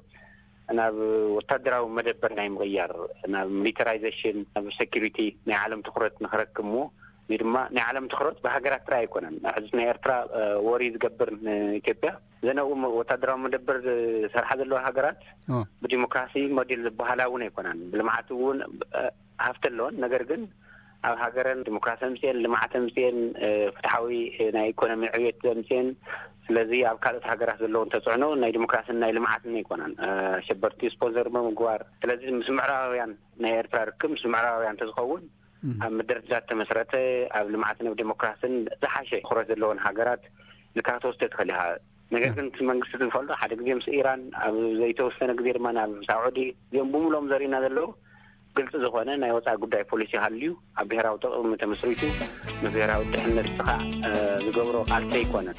ናብ ወታደራዊ መደበር ናይ ምቕያር ናብ ሚሊተራይዜሽን ናብ ሴኪሪቲ ናይ ዓለም ትኩረት ንክረክብ ሞ እዚ ድማ ናይ ዓለም ትኩረት ብሃገራት ጥራይ ኣይኮነን። ሕዚ ናይ ኤርትራ ወሪ ዝገብር ንኢትዮጵያ ዘነኡ ወታደራዊ መደበር ዝሰርሓ ዘለዋ ሃገራት ብዲሞክራሲ ሞዴል ዝበሃላ እውን ኣይኮናን። ብልምዓት እውን ሃፍቲ ኣለዎን ነገር ግን ኣብ ሃገረን ዲሞክራሲ ኣምፅኤን ልምዓት ኣምፅኤን ፍትሓዊ ናይ ኢኮኖሚ ዕብየት ኣምፅኤን ስለዚ ኣብ ካልኦት ሃገራት ዘለውን ተፅዕኖ ናይ ዲሞክራሲን ናይ ልምዓትን ኣይኮናን። ሸበርቲ ስፖንሰር ብምግባር ስለዚ ምስ ምዕራባውያን ናይ ኤርትራ ርክብ ምስ ምዕራባውያን ተዝኸውን ኣብ ምድርዳር ተመስረተ፣ ኣብ ልምዓትን ኣብ ዴሞክራሲን ዝሓሸ ትኹረት ዘለዎን ሃገራት ልካ ክትወስዶ ትኽእል ኢኻ። ነገር ግን እቲ መንግስቲ ዝፈልጦ ሓደ ግዜ ምስ ኢራን ኣብ ዘይተወሰነ ግዜ ድማ ናብ ሳዑዲ እዚኦም ብምሎም ዘርእና ዘለዉ ግልፂ ዝኾነ ናይ ወፃኢ ጉዳይ ፖሊሲ ሃልዩ ኣብ ብሔራዊ ጥቕሚ ተመስሪቱ ንብሔራዊ ድሕነት ስኻዕ ዝገብሮ ቃልሲ ኣይኮነን።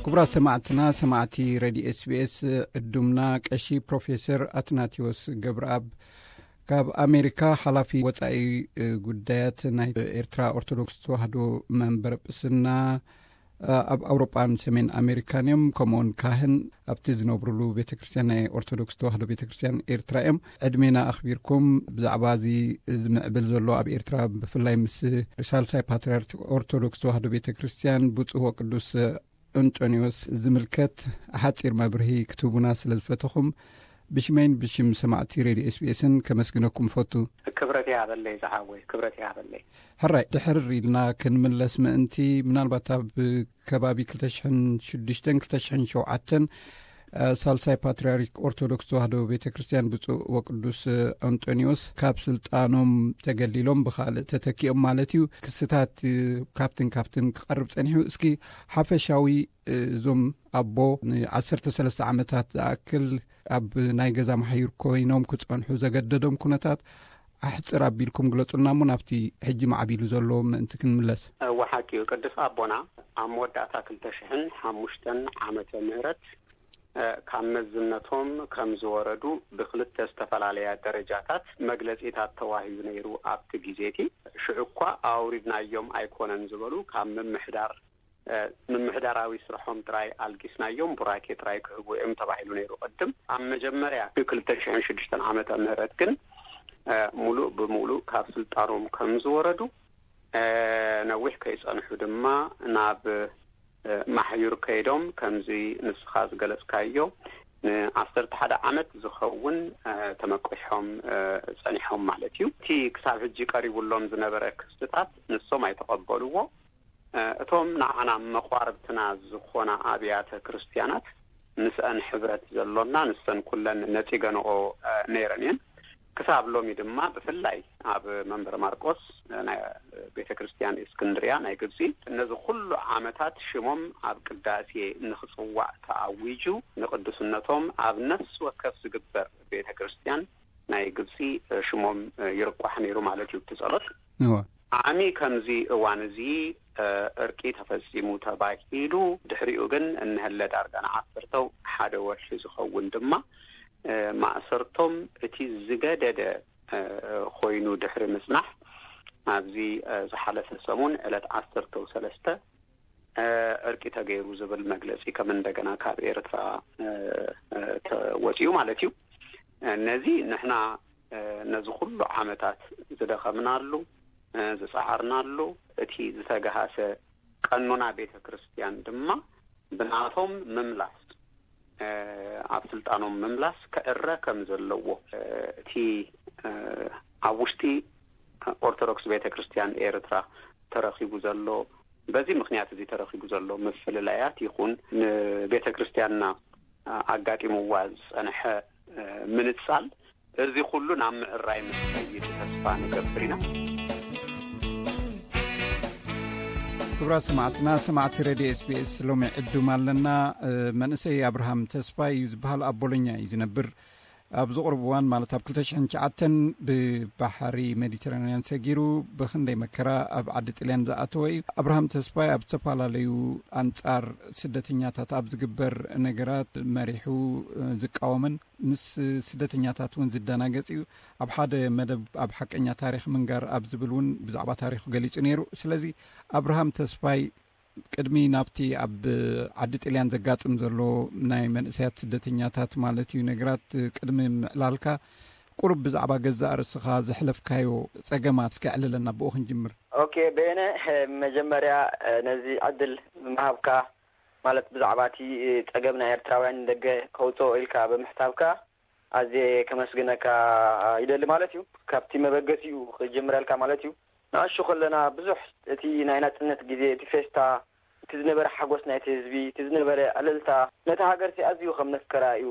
ክቡራት ሰማዕትና ሰማዕቲ ሬድዮ ኤስቢኤስ ዕዱምና ቀሺ ፕሮፌሰር ኣትናቴዎስ ገብረኣብ ካብ ኣሜሪካ ሓላፊ ወፃኢ ጉዳያት ናይ ኤርትራ ኦርቶዶክስ ተዋህዶ መንበር ጵስና ኣብ ኣውሮጳን ሰሜን ኣሜሪካን እዮም። ከምኡውን ካህን ኣብቲ ዝነብሩሉ ቤተ ክርስትያን ናይ ኦርቶዶክስ ተዋህዶ ቤተ ክርስትያን ኤርትራ እዮም። ዕድሜና ኣኽቢርኩም ብዛዕባ እዚ ዝምዕብል ዘሎ ኣብ ኤርትራ ብፍላይ ምስ ሳልሳይ ፓትርያርክ ኦርቶዶክስ ተዋህዶ ቤተ ክርስትያን ብፁዕ ወቅዱስ እንጦንዮስ ዝምልከት ሓፂር መብርሂ ክትህቡና ስለ ዝፈተኹም ብሽመይን ብሽም ሰማዕቲ ሬድዮ ኤስቢኤስን ከመስግነኩም ፈቱ። ክብረት ይሃበለይ ዝሓወይ፣ ክብረት ይሃበለይ። ሕራይ ድሕር ኢልና ክንምለስ ምእንቲ ምናልባት ኣብ ከባቢ ክልተ ሽሕን ሽዱሽተን ክልተ ሽሕን ሸውዓተን ሳልሳይ ፓትርያርክ ኦርቶዶክስ ተዋህዶ ቤተ ክርስትያን ብፁዕ ወቅዱስ ኣንጦኒዎስ ካብ ስልጣኖም ተገሊሎም ብኻልእ ተተኪኦም ማለት እዩ። ክስታት ካብትን ካብትን ክቐርብ ጸኒሑ። እስኪ ሓፈሻዊ እዞም ኣቦ ንዓሰርተ ሰለስተ ዓመታት ዝኣክል ኣብ ናይ ገዛ ማሕዩር ኮይኖም ክጸንሑ ዘገደዶም ኩነታት ኣሕጽር ኣቢልኩም ግለጹልና እሞ ናብቲ ሕጂ ማዕቢሉ ዘሎ ምእንቲ ክንምለስ። እወ ሓቂ እዩ። ቅዱስ ኣቦና ኣብ መወዳእታ ክልተ ሽሕን ሓሙሽተን ዓመተ ምህረት ካብ መዝነቶም ከም ዝወረዱ ብክልተ ዝተፈላለያ ደረጃታት መግለጺታት ተዋሂቡ ነይሩ። ኣብቲ ግዜ እቲ ሽዑ እኳ ኣውሪድናዮም ኣይኮነን ዝበሉ ካብ ምምሕዳር ምምሕዳራዊ ስርሖም ጥራይ ኣልጊስናዮም ቡራኬ ጥራይ ክህቡ እዮም ተባሂሉ ነይሩ። ቅድም ኣብ መጀመርያ ክልተ ሽሕን ሽዱሽተን ዓመተ ምህረት ግን ሙሉእ ብሙሉእ ካብ ስልጣኖም ከም ዝወረዱ ነዊሕ ከይጸንሑ ድማ ናብ ማሕዩር ከይዶም ከምዚ ንስኻ ዝገለጽካዮ ንዓሰርተ ሓደ ዓመት ዝኸውን ተመቂሖም ጸኒሖም ማለት እዩ። እቲ ክሳብ ሕጂ ቀሪቡሎም ዝነበረ ክስታት ንሶም ኣይተቐበልዎ። እቶም ንዓና መቋርብትና ዝኾና ኣብያተ ክርስትያናት ምስአን ሕብረት ዘሎና ንሰን ኩለን ነጺገንኦ ነይረን እየን። ክሳብ ሎሚ ድማ ብፍላይ ኣብ መንበረ ማርቆስ ናይ ቤተ ክርስትያን እስክንድርያ ናይ ግብጺ ነዚ ኩሉ ዓመታት ሽሞም ኣብ ቅዳሴ ንኽጽዋዕ ተኣዊጁ ንቅዱስነቶም ኣብ ነፍሲ ወከፍ ዝግበር ቤተ ክርስትያን ናይ ግብጺ ሽሞም ይርቋሕ ነይሩ ማለት እዩ። እቲ ጸሎት ዓሚ ከምዚ እዋን እዚ እርቂ ተፈጺሙ ተባሂሉ ድሕሪኡ ግን እንሀለ ዳርጋ ንዓሰርተው ሓደ ወርሒ ዝኸውን ድማ ማእሰርቶም እቲ ዝገደደ ኮይኑ ድሕሪ ምጽናሕ ኣብዚ ዝሓለፈ ሰሙን ዕለት ዓሰርተው ሰለስተ እርቂ ተገይሩ ዝብል መግለጺ ከም እንደገና ካብ ኤርትራ ተወጺኡ ማለት እዩ። ነዚ ንሕና ነዚ ኩሉ ዓመታት ዝደኸምናሉ ዝጸዓርናሉ እቲ ዝተገሃሰ ቀኖና ቤተ ክርስትያን ድማ ብናቶም ምምላስ ኣብ ስልጣኖም ምምላስ ክዕረ ከም ዘለዎ እቲ ኣብ ውሽጢ ኦርቶዶክስ ቤተ ክርስትያን ኤርትራ ተረኺቡ ዘሎ በዚ ምክንያት እዚ ተረኺቡ ዘሎ ምፍልላያት ይኹን ንቤተ ክርስትያንና ኣጋጢምዋ ዝጸንሐ ምንጻል እዚ ኩሉ ናብ ምዕራይ ምስ ከይድ ተስፋ ንገብር ኢና። ክብራ ሰማዕትና ሰማዕቲ ሬድዮ ኤስቢኤስ ሎሚ ዕዱም ኣለና። መንእሰይ ኣብርሃም ተስፋይ እዩ ዝበሃል ኣብ ቦሎኛ እዩ ዝነብር። ኣብዚ ቁሩብ እዋን ማለት ኣብ ክልተ ሽሕን ትሽዓተን ብባሕሪ ሜዲተራንያን ሰጊሩ ብኽንደይ መከራ ኣብ ዓዲ ጥልያን ዝኣተወ እዩ። ኣብርሃም ተስፋይ ኣብ ዝተፈላለዩ ኣንጻር ስደተኛታት ኣብ ዝግበር ነገራት መሪሑ ዝቃወምን ምስ ስደተኛታት እውን ዝደናገጽ እዩ። ኣብ ሓደ መደብ ኣብ ሓቀኛ ታሪኽ ምንጋር ኣብ ዝብል እውን ብዛዕባ ታሪኹ ገሊጹ ነይሩ። ስለዚ ኣብርሃም ተስፋይ ቅድሚ ናብቲ ኣብ ዓዲ ጥልያን ዘጋጥም ዘሎ ናይ መንእሰያት ስደተኛታት ማለት እዩ ነገራት ቅድሚ ምዕላልካ ቁሩብ ብዛዕባ ገዛእ ርእስኻ ዘሕለፍካዮ ጸገማት እስኪ ኣዕልለና፣ ብኡ ክንጅምር። ኦኬ በየነ፣ መጀመርያ ነዚ ዕድል ምሃብካ ማለት ብዛዕባ እቲ ጸገም ናይ ኤርትራውያን ንደገ ከውጽኦ ኢልካ ብምሕሳብካ ኣዝየ ከመስግነካ ይደሊ ማለት እዩ። ካብቲ መበገሲኡ ክጅምረልካ ማለት እዩ። ንኣሹ ከለና ብዙሕ እቲ ናይ ናጽነት ግዜ፣ እቲ ፌስታ፣ እቲ ዝነበረ ሓጎስ ናይቲ ህዝቢ፣ እቲ ዝነበረ ዕልልታ ነቲ ሃገርሲ ኣዝዩ ከም ነፍቅራ እዩ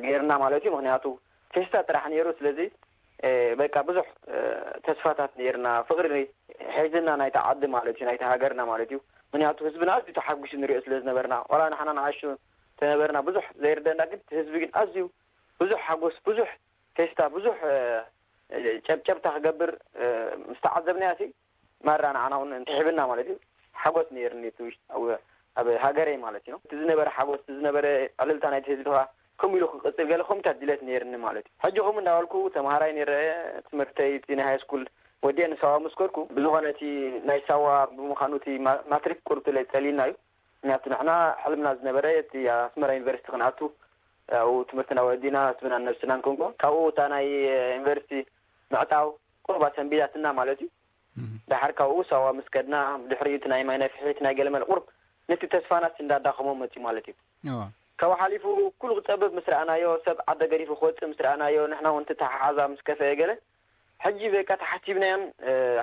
ገይርና ማለት እዩ። ምክንያቱ ፌስታ ጥራሕ ነይሩ። ስለዚ በቃ ብዙሕ ተስፋታት ነርና፣ ፍቕሪ ሒዝና ናይታ ዓዲ ማለት እዩ፣ ናይታ ሃገርና ማለት እዩ። ምክንያቱ ህዝብና ኣዝዩ ተሓጒሱ ንሪኦ ስለ ዝነበርና፣ ዋላ ንሓና ንኣሹ ተነበርና ብዙሕ ዘይርደና፣ ግን ህዝቢ ግን ኣዝዩ ብዙሕ ሓጎስ፣ ብዙሕ ፌስታ፣ ብዙሕ ጨብጨብታ ክገብር ምስ ተዓዘብናያ ሲ ማራ ንዓና እውን ትሕብና ማለት እዩ። ሓጎስ ነይርኒ እቲ ውሽጣዊ ኣብ ሃገረይ ማለት እዩ። እቲ ዝነበረ ሓጎስ፣ እቲ ዝነበረ ዕልልታ ናይቲ ህዝቢ ከዓ ከምኡ ኢሉ ክቅፅል ገለ ከምታት ድሌት ነይርኒ ማለት እዩ። ሕጂ ከምኡ እንዳበልኩ ተምሃራይ ነይረ፣ ትምህርተይ እቲ ናይ ሃይ ስኩል ወዲአ ንሳዋ ምስ ከድኩ፣ ብዝኾነ እቲ ናይ ሳዋ ብምዃኑ እቲ ማ- ማትሪክ ቁርብ ለ- ጸሊልና እዩ። ምክንያቱ ንሕና ሕልምና ዝነበረ እቲ ኣስመራ ዩኒቨርሲቲ ክንኣቱ ኣብኡ ትምህርትና ወዲና ህዝብናን ነብስናን ክንኮን ካብኡ እታ ናይ ዩኒቨርሲቲ ምዕጣው ቁርባ ሰንቢዳትና ማለት እዩ። ዳሓር ካብኡ ሳዋ ምስ ከድና ድሕሪኡ እቲ ናይ ማይ ናይ ፍሒት ናይ ገለመለ ቁርብ ነቲ ተስፋናስ እንዳዳኸሞ መፅዩ ማለት እዩ። ካብኡ ሓሊፉ ኩሉ ክፀብብ ምስ ረኣናዮ፣ ሰብ ዓደ ገዲፉ ክወፅእ ምስ ረኣናዮ፣ ንሕና እውን ተተሓሓዛ ምስ ከፈአ ገለ ሕጂ በቃ ተሓሲብናዮን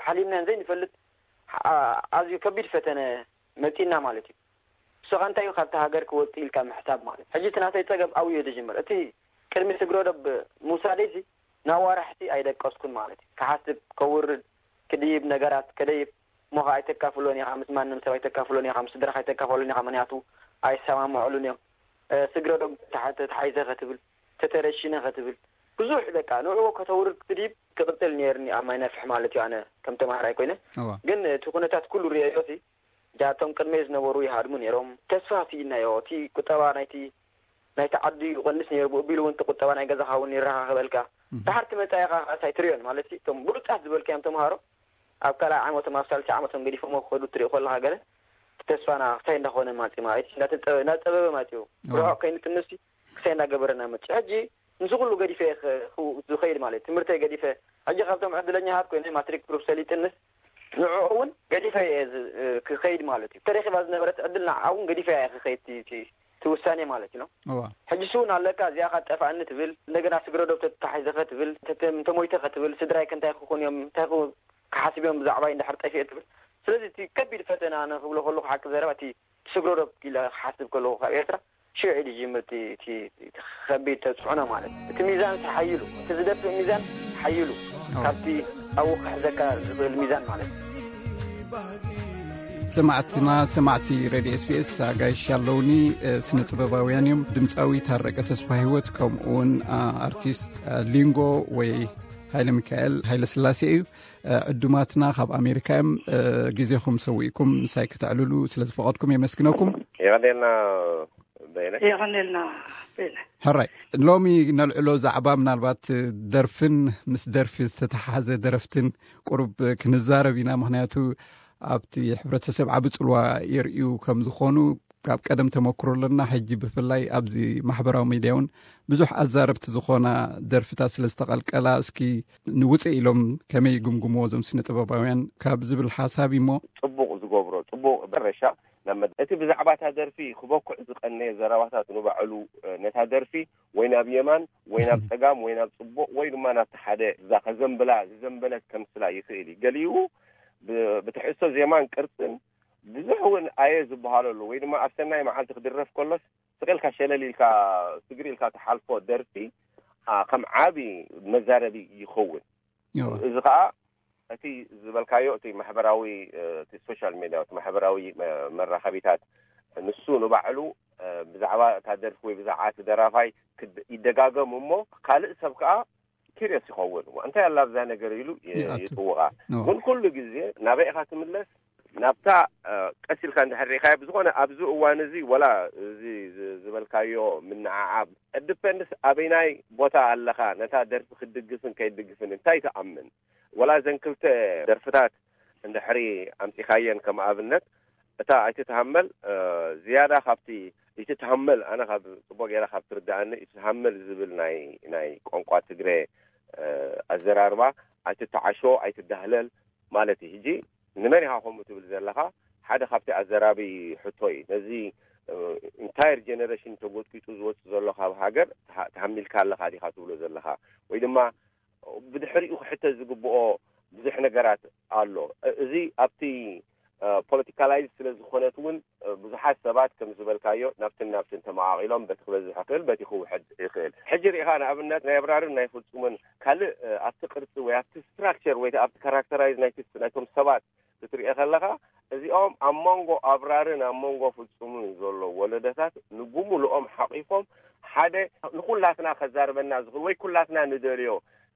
ሓሊምናዮን ዘይንፈልጥ ኣዝዩ ከቢድ ፈተነ መፂና ማለት እዩ። ንስኻ እንታይ እዩ ካብቲ ሃገር ክወፅእ ኢልካ ምሕሳብ ማለት ሕጂ እቲ ናተይ ፀገም ኣብኡ እዩ ዝጅምር። እቲ ቅድሚ ስግረ ዶብ ምውሳደይሲ ናብ ዋራሕቲ ኣይደቀስኩን ማለት እዩ። ክሓስብ፣ ከውርድ፣ ክድይብ፣ ነገራት ከደይብ እሞ ኸዓ ኣይተካፍሎን ኢኻ፣ ምስ ማንም ሰብ ኣይተካፍሎን ኢኻ፣ ምስ ስድራኻ ኣይተካፈሎን ኢኻ፣ ምክንያቱ ኣይሰማምዕሉን እዮም። ስግረ ዶብ ተሓይዘ ከትብል፣ ተተረሽነ ከትብል፣ ብዙሕ በቃ ንዕኡ ከተውርድ ክትድይብ ክቕፅል ነይርኒ ኣብ ማይ ነፍሕ ማለት እዩ። ኣነ ከም ተማሃራይ ኮይነ ግን እቲ ኩነታት ኩሉ ርእዮሲ እቶም ቅድመይ ዝነበሩ ይሃድሙ ነይሮም። ተስፋ ስኢናዮ። እቲ ቁጠባ ናይቲ ናይቲ ዓዲ ይቐንስ ነይሩ። ብኡ ቢሉ እውን እቲ ቁጠባ ናይ ገዛኻ እውን ይረኻኸበልካ። ድሓር ትመጻ ኢኻ ከኣስ ኣይትሪዮን ማለት እቶም ብሉጻት ዝበልካዮም ተምሃሮ ኣብ ካልኣይ ዓመቶም ኣብ ሳልሲ ዓመቶም ገዲፎሞ ክኸዱ ትሪኦ ከለኻ ገለ ተስፋና ክሳይ እንዳኾነ ማጺ ማለት እንዳጸበበ ማጺኡ ርሑቕ ከይንጥምሲ ክሳይ እንዳገበረና መጺ ሕጂ ምስ ኩሉ ገዲፈ ዝኸይድ ማለት ትምህርተይ ገዲፈ ሕጂ ካብቶም ዕድለኛታት ኮይነ ማትሪክ ፕሩፍ ሰሊጥንስ ንዕኡ እውን ገዲፈ እየ ክኸይድ ማለት እዩ። ተረኪባ ዝነበረት ዕድል ንዓ እውን ገዲፈ እየ ክኸይድ ትውሳኔ ማለት እዩ። ሕጂ ስውን ኣለካ እዚኣ ካጠፋእኒ ትብል እንደገና ስግረ ዶብ ተታሒዘ ከትብል ተሞይተ ከትብል ስድራይ ከንታይ ክኹን እዮም እንታይ ክሓስብ እዮም ብዛዕባይ እንድሕር ጠፊኤ ትብል። ስለዚ እቲ ከቢድ ፈተና ንክብሎ ከለኩ ሓቂ ዘረባ እቲ ስግረ ዶብ ኢለ ክሓስብ ከለኩ ካብ ኤርትራ ሽዑ እዩ ዝጅምር እቲ ከቢድ ተፅዕኖ ማለት እቲ ሚዛን ሓይሉ እቲ ዝደፍእ ሚዛን ሓይሉ ካብቲ ኣብኡ ክሕዘካ ዝኽእል ሚዛን ማለት እዩ። ሰማዕትና ሰማዕቲ ሬድዮ ኤስቢኤስ ኣጋይሽ ኣለውኒ። ስነ ጥበባውያን እዮም። ድምፃዊ ታረቀ ተስፋ ህይወት ከምኡ እውን ኣርቲስት ሊንጎ ወይ ሃይለ ሚካኤል ሃይለ ስላሴ እዩ። ዕዱማትና ካብ ኣሜሪካ እዮም። ግዜኹም ሰዊእኩም ምሳይ ከተዕልሉ ስለ ዝፈቐድኩም የመስግነኩም። የቐኔልና በይነ። የቐኔልና በይነ። ሕራይ ሎሚ ነልዕሎ ዛዕባ ምናልባት ደርፍን ምስ ደርፊ ዝተተሓሓዘ ደረፍትን ቁሩብ ክንዛረብ ኢና። ምክንያቱ ኣብቲ ሕብረተሰብ ዓቢ ጽልዋ የርእዩ ከም ዝኾኑ ካብ ቀደም ተመክሮ ኣለና። ሕጂ ብፍላይ ኣብዚ ማሕበራዊ ሚድያ እውን ብዙሕ ኣዛረብቲ ዝኾና ደርፍታት ስለ ዝተቐልቀላ እስኪ ንውፅእ ኢሎም ከመይ ይግምግምዎ እዞም ስነ ጥበባውያን ካብ ዝብል ሓሳብ እሞ ፅቡቕ ዝገብሮ ፅቡቕ በረሻ ናብ መድ- እቲ ብዛዕባ እታ ደርፊ ክበኩዕ ዝቐነየ ዘረባታት ንባዕሉ ነታ ደርፊ ወይ ናብ የማን ወይ ናብ ፀጋም ወይ ናብ ፅቡቕ ወይ ድማ ናብቲ ሓደ እዛ ከዘንብላ ዝዘንበለት ከምስላ ይኽእል እዩ። ገሊኡ ብትሕዝቶ ዜማን ቅርፅን ብዙሕ እውን ኣየ ዝበሃለሉ ወይ ድማ ኣብ ሰናይ መዓልቲ ክድረፍ ከሎስ ስቕ ኢልካ ሸለል ኢልካ ስግር ኢልካ ትሓልፎ ደርፊ ከም ዓቢ መዛረቢ ይኸውን። እዚ ከዓ እቲ ዝበልካዮ እቲ ማሕበራዊ እቲ ሶሻል ሜድያ እቲ ማሕበራዊ መራኸቢታት ንሱ ንባዕሉ ብዛዕባ እታ ደርፊ ወይ ብዛዕባ እቲ ደራፋይ ይደጋገም እሞ ካልእ ሰብ ከዓ ኪርዮስ ይኸውን እንታይ ኣላ ኣብዛ ነገር ኢሉ ይጥውቓ። ግን ኩሉ ግዜ ናበይ ኢኻ ትምለስ ናብታ ቀስ ኢልካ እንድሕር ርኢኻዮ ብዝኾነ ኣብዚ እዋን እዚ ወላ እዚ ዝበልካዮ ምንዓዓብ ዲፐንድስ ኣበይናይ ቦታ ኣለኻ ነታ ደርፊ ክትድግፍን ከይድግፍን እንታይ ትኣምን ወላ እዘን ክልተ ደርፍታት እንድሕሪ ኣምፂኻየን ከም ኣብነት እታ ኣይትትሃመል ዝያዳ ካብቲ ይትትሃመል ኣነ ካብ ፅቡቅ ገይረ ካብ ትርድኣኒ ይትትሃመል ዝብል ናይ ናይ ቋንቋ ትግረ ኣዘራርባ ኣይትተዓሾ ኣይትዳህለል ማለት እዩ። ሕጂ ንመን ኢኻ ከምኡ ትብል ዘለኻ ሓደ ካብቲ ኣዘራቢ ሕቶ እዩ። ነዚ ኢንታየር ጀነሬሽን ተጎጥቂጡ ዝወፅእ ዘሎ ካብ ሃገር ተሃሚልካ ኣለኻ ዲኻ ትብሎ ዘለኻ ወይ ድማ ብድሕሪኡ ክሕተት ዝግብኦ ብዙሕ ነገራት ኣሎ። እዚ ኣብቲ ፖለቲካላይዝ ስለ ዝኾነት እውን ብዙሓት ሰባት ከም ዝበልካዮ ናብትን ናብትን ተመቓቒሎም፣ በቲ ክበዝሕ ይኽእል፣ በቲ ክውሕድ ይኽእል። ሕጂ ርኢኻ ንኣብነት ናይ ኣብራርን ናይ ፍጹምን ካልእ ኣብቲ ቅርጺ ወይ ኣብቲ ስትራክቸር ወይ ኣብቲ ካራክተራይዝ ናይቶም ሰባት ክትሪኦ ከለኻ፣ እዚኦም ኣብ መንጎ ኣብራርን ኣብ መንጎ ፍጹምን ዘሎ ወለዶታት ንብምሉኦም ሓቒፎም ሓደ ንኹላትና ከዛርበና ዝኽእል ወይ ኩላትና ንደልዮ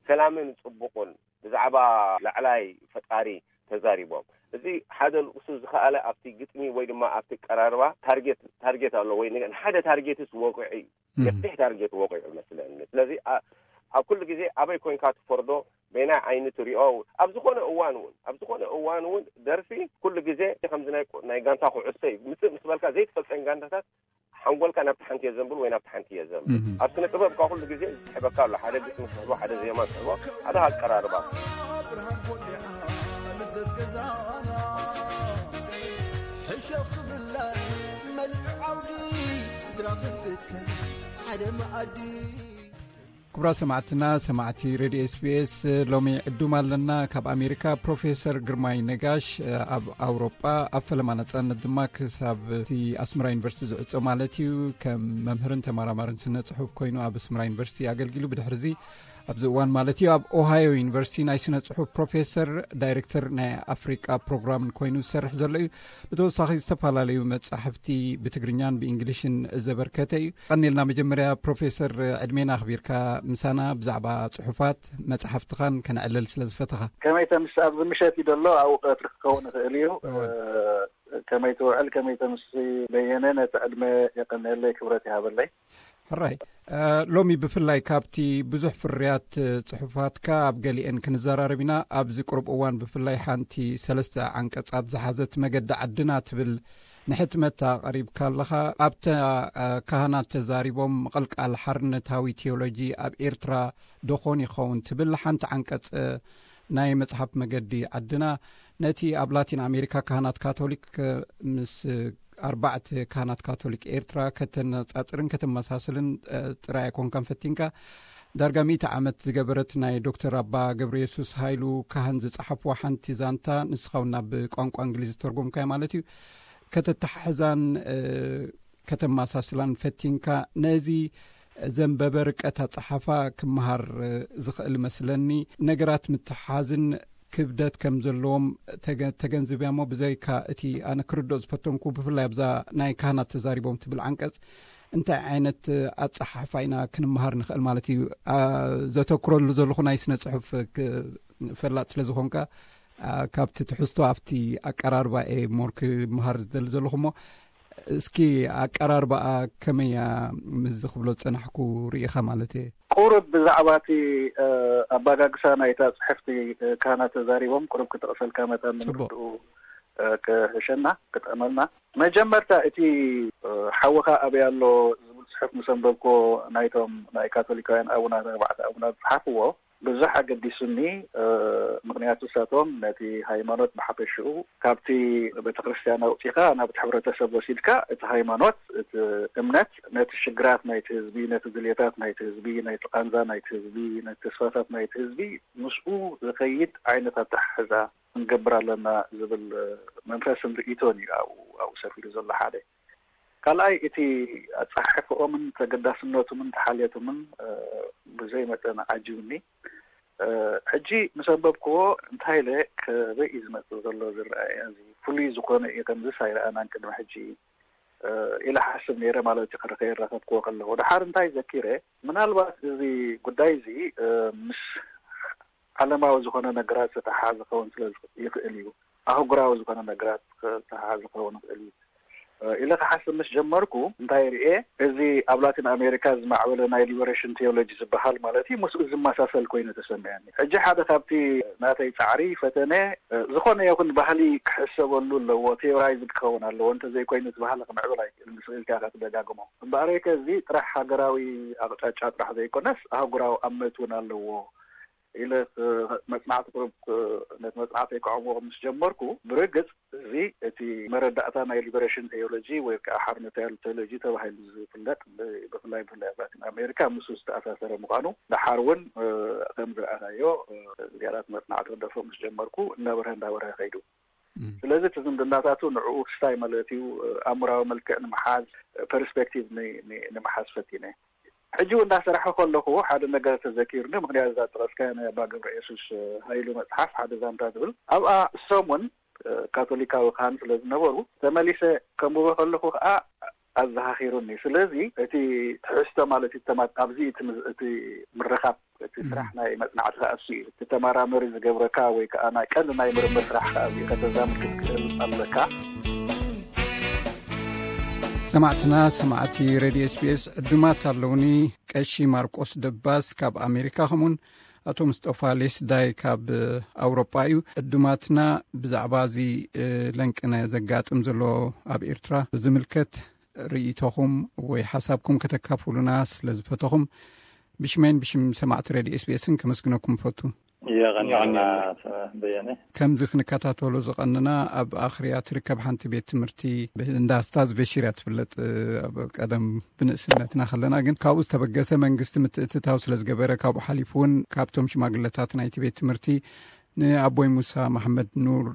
ሰላምን ጽቡቕን ብዛዕባ ላዕላይ ፈጣሪ ተዛሪቦም። እዚ ሓደ ንሱ ዝኸኣለ ኣብቲ ግጥሚ ወይ ድማ ኣብቲ ቀራርባ ታርጌት ታርጌት ኣሎ ወይ ንሓደ ታርጌትስ ወቂዑ እዩ። ገፊሕ ታርጌት ወቂዑ መስለኒ። ስለዚ ኣብ ኩሉ ግዜ ኣበይ ኮይንካ ትፈርዶ፣ በይናይ ዓይኒ ትሪኦ። ኣብ ዝኾነ እዋን እውን ኣብ ዝኾነ እዋን እውን ደርፊ ኩሉ ግዜ ከምዚ ናይ ናይ ጋንታ ኩዕሶ እዩ ምጽእ ምስ በልካ ዘይትፈልጠን ጋንታታት ሓንጎልካ ናብቲ ሓንቲ እየ ዘንብል ወይ ናብቲ ሓንቲ እየ ዘንብል። ኣብ ስነ ጥበብ ካብ ኩሉ ግዜ ዝስሕበካ ኣሎ። ሓደ ግጥሚ ትስሕቦ፣ ሓደ ዜማ ትስሕቦ፣ ሓደ ኣቀራርባ። ሕሸኽ ብላ መልዕ ዓውዲ ስድራ ክትከል ሓደ መኣዲ። ክቡራት ሰማዕትና፣ ሰማዕቲ ሬድዮ ኤስቢኤስ፣ ሎሚ ዕዱም ኣለና። ካብ ኣሜሪካ ፕሮፌሰር ግርማይ ነጋሽ፣ ኣብ ኣውሮጳ ኣብ ፈለማ ነጻነት ድማ ክሳብ እቲ ኣስመራ ዩኒቨርሲቲ ዝዕጾ ማለት እዩ፣ ከም መምህርን ተመራማርን ስነ ጽሑፍ ኮይኑ ኣብ ኣስመራ ዩኒቨርሲቲ ኣገልጊሉ። ብድሕርዚ ኣብዚ እዋን ማለት እዩ ኣብ ኦሃዮ ዩኒቨርሲቲ ናይ ስነ ጽሑፍ ፕሮፌሰር፣ ዳይሬክተር ናይ ኣፍሪቃ ፕሮግራምን ኮይኑ ዝሰርሕ ዘሎ እዩ። ብተወሳኺ ዝተፈላለዩ መጻሕፍቲ ብትግርኛን ብእንግሊሽን ዘበርከተ እዩ። ቀኒልና መጀመርያ ፕሮፌሰር ዕድሜና ኣኽቢርካ ምሳና ብዛዕባ ጽሑፋት መጻሕፍትኻን ከነዕልል ስለ ዝፈተኻ። ከመይ ተምስ ኣብዚ ምሸት እዩ ዘሎ ኣብኡ ቀትሪ ክኸውን ይኽእል እዩ። ከመይ ትውዕል ከመይ ተምሲ በየነ ነቲ ዕድመ የቀንየለይ ክብረት ይሃበለይ። ሕራይ ሎሚ ብፍላይ ካብቲ ብዙሕ ፍርያት ጽሑፋትካ ኣብ ገሊአን ክንዘራረብ ኢና። ኣብዚ ቅሩብ እዋን ብፍላይ ሓንቲ ሰለስተ ዓንቀጻት ዝሓዘት መገዲ ዓድና ትብል ንሕትመት ኣቐሪብካ ኣለኻ። ኣብታ ካህናት ተዛሪቦም ምቕልቃል ሓርነታዊ ቴዎሎጂ ኣብ ኤርትራ ዶኾን ይኸውን ትብል ሓንቲ ዓንቀጽ ናይ መጽሓፍ መገዲ ዓድና ነቲ ኣብ ላቲን ኣሜሪካ ካህናት ካቶሊክ ምስ ኣርባዕተ ካህናት ካቶሊክ ኤርትራ ከተነጻጽርን ከተመሳስልን ጥራይ ኣይኮንካን ፈቲንካ። ዳርጋ ሚእቲ ዓመት ዝገበረት ናይ ዶክተር ኣባ ገብረየሱስ ሃይሉ ካህን ዝጸሓፍዋ ሓንቲ ዛንታ ንስኻ እውን ናብ ቋንቋ እንግሊዝ ዝተርጎምካዮ ማለት እዩ ከተተሓሕዛን ከተመሳስላን ፈቲንካ። ነዚ ዘንበበ ርቀት ኣጸሓፋ ክመሃር ዝኽእል መስለኒ። ነገራት ምትሓዝን ክብደት ከም ዘለዎም ተገንዝብያ እሞ ብዘይካ እቲ ኣነ ክርድኦ ዝፈተንኩ ብፍላይ ኣብዛ ናይ ካህናት ተዛሪቦም ትብል ዓንቀጽ እንታይ ዓይነት ኣጸሓሕፋ ኢና ክንመሃር ንኽእል ማለት እዩ? ዘተኩረሉ ዘለኹ ናይ ስነ ጽሑፍ ፈላጥ ስለ ዝኾንካ ካብቲ ትሕዝቶ ኣብቲ ኣቀራርባ እየ ሞር ክመሃር ዝደሊ ዘለኹ እሞ እስኪ ኣቀራርባኣ ከመይ እያ ምስዚ ክብሎ ዝጸናሕኩ ርኢኻ ማለት እየ። ቁሩብ ብዛዕባ እቲ ኣባጋግሳ ናይታ ጽሕፍቲ ካህናት ተዛሪቦም ቁሩብ ክጠቕሰልካ መጠን ንምርድኡ ክሕሸና ክጠቕመልና። መጀመርታ እቲ ሓውኻ ኣበይ ኣሎ ዝብል ጽሑፍ ምስ ኣንበብክዎ ናይቶም ናይ ካቶሊካውያን ኣቡናት ኣርባዕተ ኣቡናት ዝጸሓፍዎ ብዙሕ ኣገዲሱኒ። ምኽንያቱ ንሳቶም ነቲ ሃይማኖት ብሓፈሽኡ ካብቲ ቤተክርስትያን ኣውፂኻ ናብቲ ሕብረተሰብ ወሲድካ እቲ ሃይማኖት እቲ እምነት ነቲ ሽግራት ናይቲ ህዝቢ ነቲ ድልየታት ናይቲ ህዝቢ ነቲ ቃንዛ ናይቲ ህዝቢ ነቲ ተስፋታት ናይቲ ህዝቢ ምስኡ ዝኸይድ ዓይነት ኣተሓሕዛ ክንገብር ኣለና ዝብል መንፈስን ርእይቶን እዩ ኣብኡ ኣብኡ ሰፊሩ ዘሎ ሓደ ካልኣይ እቲ ኣፀሓሕፈኦምን ተገዳስነቱምን ተሓልየቱምን ብዘይ መጠን ዓጂብኒ። ሕጂ ምስ ኣንበብክዎ እንታይ ኢለ ከበይ እዩ ዝመፅእ ዘሎ ዝረኣየ እዚ ፍሉይ ዝኾነ እዩ ከምዝስ ኣይረኣናን ቅድሚ ሕጂ ኢለ ሓስብ ነይረ ማለት እዩ። ከይረኸብክዎ ከለኹ ደሓር እንታይ ዘኪረ ምናልባት እዚ ጉዳይ እዚ ምስ ዓለማዊ ዝኾነ ነገራት ዝተሓሓዝ ክኸውን ስለ ይኽእል እዩ። ኣህጉራዊ ዝኾነ ነገራት ዝተሓሓዝ ክኸውን ይኽእል እዩ ኢለ ክሓስብ ምስ ጀመርኩ እንታይ ርኤ እዚ ኣብ ላቲን ኣሜሪካ ዝማዕበለ ናይ ሊበሬሽን ቴዎሎጂ ዝበሃል ማለት እዩ ምስኡ ዝመሳሰል ኮይኑ ተሰሚዐኒ። ሕጂ ሓደ ካብቲ ናተይ ፃዕሪ ፈተነ ዝኾነ ይኹን ባህሊ ክሕሰበሉ ኣለዎ፣ ቴዎራይዝድ ክኸውን ኣለዎ፣ እንተዘይኮይኑ እቲ ባህሊ ክምዕብል ኣይክእልን፣ ስቕ ኢልካ ኢኻ ትደጋግሞ። እምበኣረይከ እዚ ጥራሕ ሃገራዊ ኣቕጫጫ ጥራሕ ዘይኮነስ ኣህጉራዊ ኣመት እውን ኣለዎ ኢለ መፅናዕቲ ቁሩብ ነቲ መፅናዕተይ ከዕምቖ ምስ ጀመርኩ ብርግፅ እዚ እቲ መረዳእታ ናይ ሊበሬሽን ቴዎሎጂ ወይ ከዓ ሓርነታዊ ቴዎሎጂ ተባሂሉ ዝፍለጥ ብፍላይ ብፍላይ ኣብ ላቲን ኣሜሪካ ምስኡ ዝተኣሳሰረ ምዃኑ ደሓር እውን ከም ዝረኣናዮ ዝያዳ እቲ መፅናዕቲ ክደፍኦ ምስ ጀመርኩ እናበርሀ እናበርሀ ከይዱ። ስለዚ እቲ ዝምድናታቱ ንዕኡ ክስታይ ማለት እዩ፣ ኣእምራዊ መልክዕ ንምሓዝ፣ ፐርስፔክቲቭ ንምሓዝ ፈቲነ። ሕጂ እውን እንዳሰራሕኩ ከለኹ ሓደ ነገር ተዘኪሩኒ። ምክንያቱ እዛ ጠቐስካያ ናይ ኣባ ገብረ የሱስ ሃይሉ መፅሓፍ ሓደ ዛንታ ትብል ኣብኣ፣ እሶም እውን ካቶሊካዊ ካህን ስለ ዝነበሩ፣ ተመሊሰ ከንብቦ ከለኹ ከዓ ኣዘኻኺሩኒ። ስለዚ እቲ ትሕዝቶ ማለት እዩ ተማ-፣ ኣብዚ እቲ ምዝ-፣ እቲ ምርኻብ እቲ ስራሕ ናይ መጽናዕቲ ከዓ እሱ እዩ። እቲ ተመራመሪ ዝገብረካ ወይ ከዓ ናይ ቀንዲ ናይ ምርምር ስራሕ ከዓ እዚ ከተዛምድ ክትክእል ኣለካ። ሰማዕትና ሰማዕቲ ሬድዮ ኤስቢኤስ ዕዱማት ኣለውኒ። ቀሺ ማርቆስ ደባስ ካብ ኣሜሪካ፣ ከምኡን ኣቶ ምስጠፋ ሌስዳይ ካብ ኣውሮጳ እዩ። ዕዱማትና ብዛዕባ እዚ ለንቅነ ዘጋጥም ዘሎ ኣብ ኤርትራ ዝምልከት ርእይቶኹም ወይ ሓሳብኩም ከተካፍሉና ስለ ዝፈተኹም ብሽመይን ብሽም ሰማዕቲ ሬድዮ ኤስቢኤስን ከመስግነኩም እፈቱ። የቐንየልና በየነ። ከምዚ ክንከታተሎ ዝቐንና፣ ኣብ ኣኽርያ ትርከብ ሓንቲ ቤት ትምህርቲ እንዳ ስታዝ በሺር እያ ትፍለጥ። ኣብ ቀደም ብንእስነትና ከለና ግን ካብኡ ዝተበገሰ መንግስቲ ምትእትታው ስለ ዝገበረ፣ ካብኡ ሓሊፉ እውን ካብቶም ሽማግለታት ናይቲ ቤት ትምህርቲ ንኣቦይ ሙሳ መሓመድ ኑር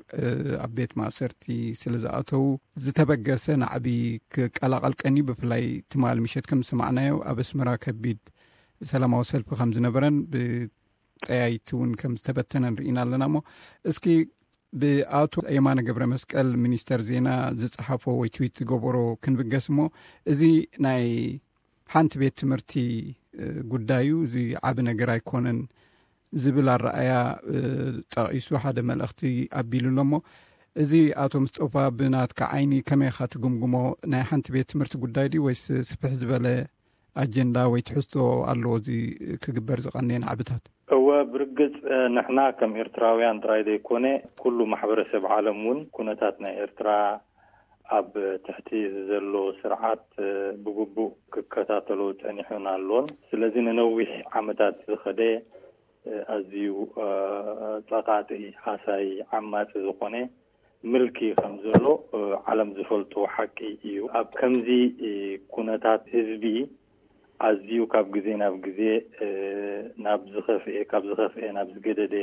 ኣብ ቤት ማእሰርቲ ስለ ዝኣተዉ ዝተበገሰ ናዕቢ ክቀላቐል ቀንዩ። ብፍላይ ትማሊ ምሸት ከም ዝሰማዕናዮ ኣብ ኣስመራ ከቢድ ሰላማዊ ሰልፊ ከም ዝነበረን ብጠያይቲ እውን ከም ዝተበተነን ርኢና ኣለና። እሞ እስኪ ብኣቶ የማነ ገብረ መስቀል ሚኒስተር ዜና ዝጸሓፎ ወይ ትዊት ዝገበሮ ክንብገስ እሞ፣ እዚ ናይ ሓንቲ ቤት ትምህርቲ ጉዳዩ እዚ ዓቢ ነገር ኣይኮነን ዝብል ኣረኣያ ጠቒሱ ሓደ መልእኽቲ ኣቢሉ ኣሎ። እሞ እዚ ኣቶ ምስጦፋ ብናትካ ዓይኒ ከመይ ኢኻ ትግምግሞ? ናይ ሓንቲ ቤት ትምህርቲ ጉዳይ ድዩ ወይስ ስፍሕ ዝበለ ኣጀንዳ ወይ ትሕዝቶ ኣለዎ እዚ ክግበር ዝቐነየ ናዕብታት? እወ፣ ብርግጽ ንሕና ከም ኤርትራውያን ጥራይ ዘይኮነ ኩሉ ማሕበረሰብ ዓለም እውን ኩነታት ናይ ኤርትራ ኣብ ትሕቲ ዘሎ ስርዓት ብግቡእ ክከታተሎ ጸኒሑን ኣሎን። ስለዚ ንነዊሕ ዓመታት ዝኸደ ኣዝዩ ጸቓጢ፣ ሃሳይ፣ ዓማጺ ዝኾነ ምልኪ ከም ዘሎ ዓለም ዝፈልጦ ሓቂ እዩ። ኣብ ከምዚ ኩነታት ህዝቢ ኣዝዩ ካብ ግዜ ናብ ግዜ ናብ ዝኸፍኤ፣ ካብ ዝኸፍኤ ናብ ዝገደደ፣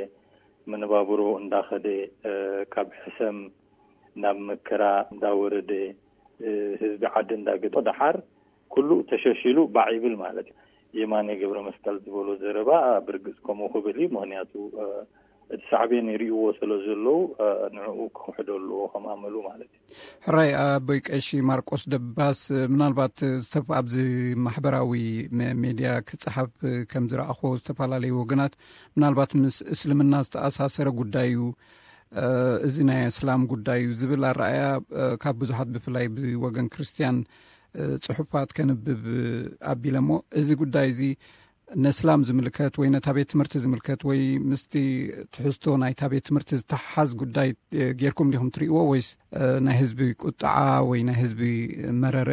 መነባብሮ እንዳኸደ፣ ካብ ሕሰም ናብ መከራ እንዳወረደ፣ ህዝቢ ዓዲ እንዳገደ፣ ደሓር ኩሉ ተሸሺሉ ባዕ ይብል ማለት እዩ። የማነ ገብረ መስቀል ዝበሎ ዘረባ ብርግጽ ከምኡ ክብል እዩ። ምክንያቱ እቲ ሳዕቤን ይርእይዎ ስለ ዘለዉ ንዕኡ ክኽሕዶ ኣለዎ ከም ኣመሉ ማለት እዩ። ሕራይ ኣቦይ ቀሺ ማርቆስ ደባስ፣ ምናልባት ዝተፍ-፣ ኣብዚ ማሕበራዊ መ-፣ ሜድያ ክጸሓፍ ከም ዝረኣኽዎ ዝተፈላለዩ ወገናት ምናልባት ምስ እስልምና ዝተኣሳሰረ ጉዳይ እዩ። እዚ ናይ እስላም ጉዳይ እዩ ዝብል ኣረኣያ ካብ ብዙሓት ብፍላይ ብወገን ክርስትያን ጽሑፋት ከንብብ ኣቢለ እሞ፣ እዚ ጉዳይ እዚ ነስላም ዝምልከት ወይ ነታ ቤት ትምህርቲ ዝምልከት ወይ ምስቲ ትሕዝቶ ናይታ ቤት ትምህርቲ ዝተሓሓዝ ጉዳይ ጌርኩም ዲኹም ትርእይዎ ወይስ ናይ ህዝቢ ቁጥዓ ወይ ናይ ህዝቢ መረረ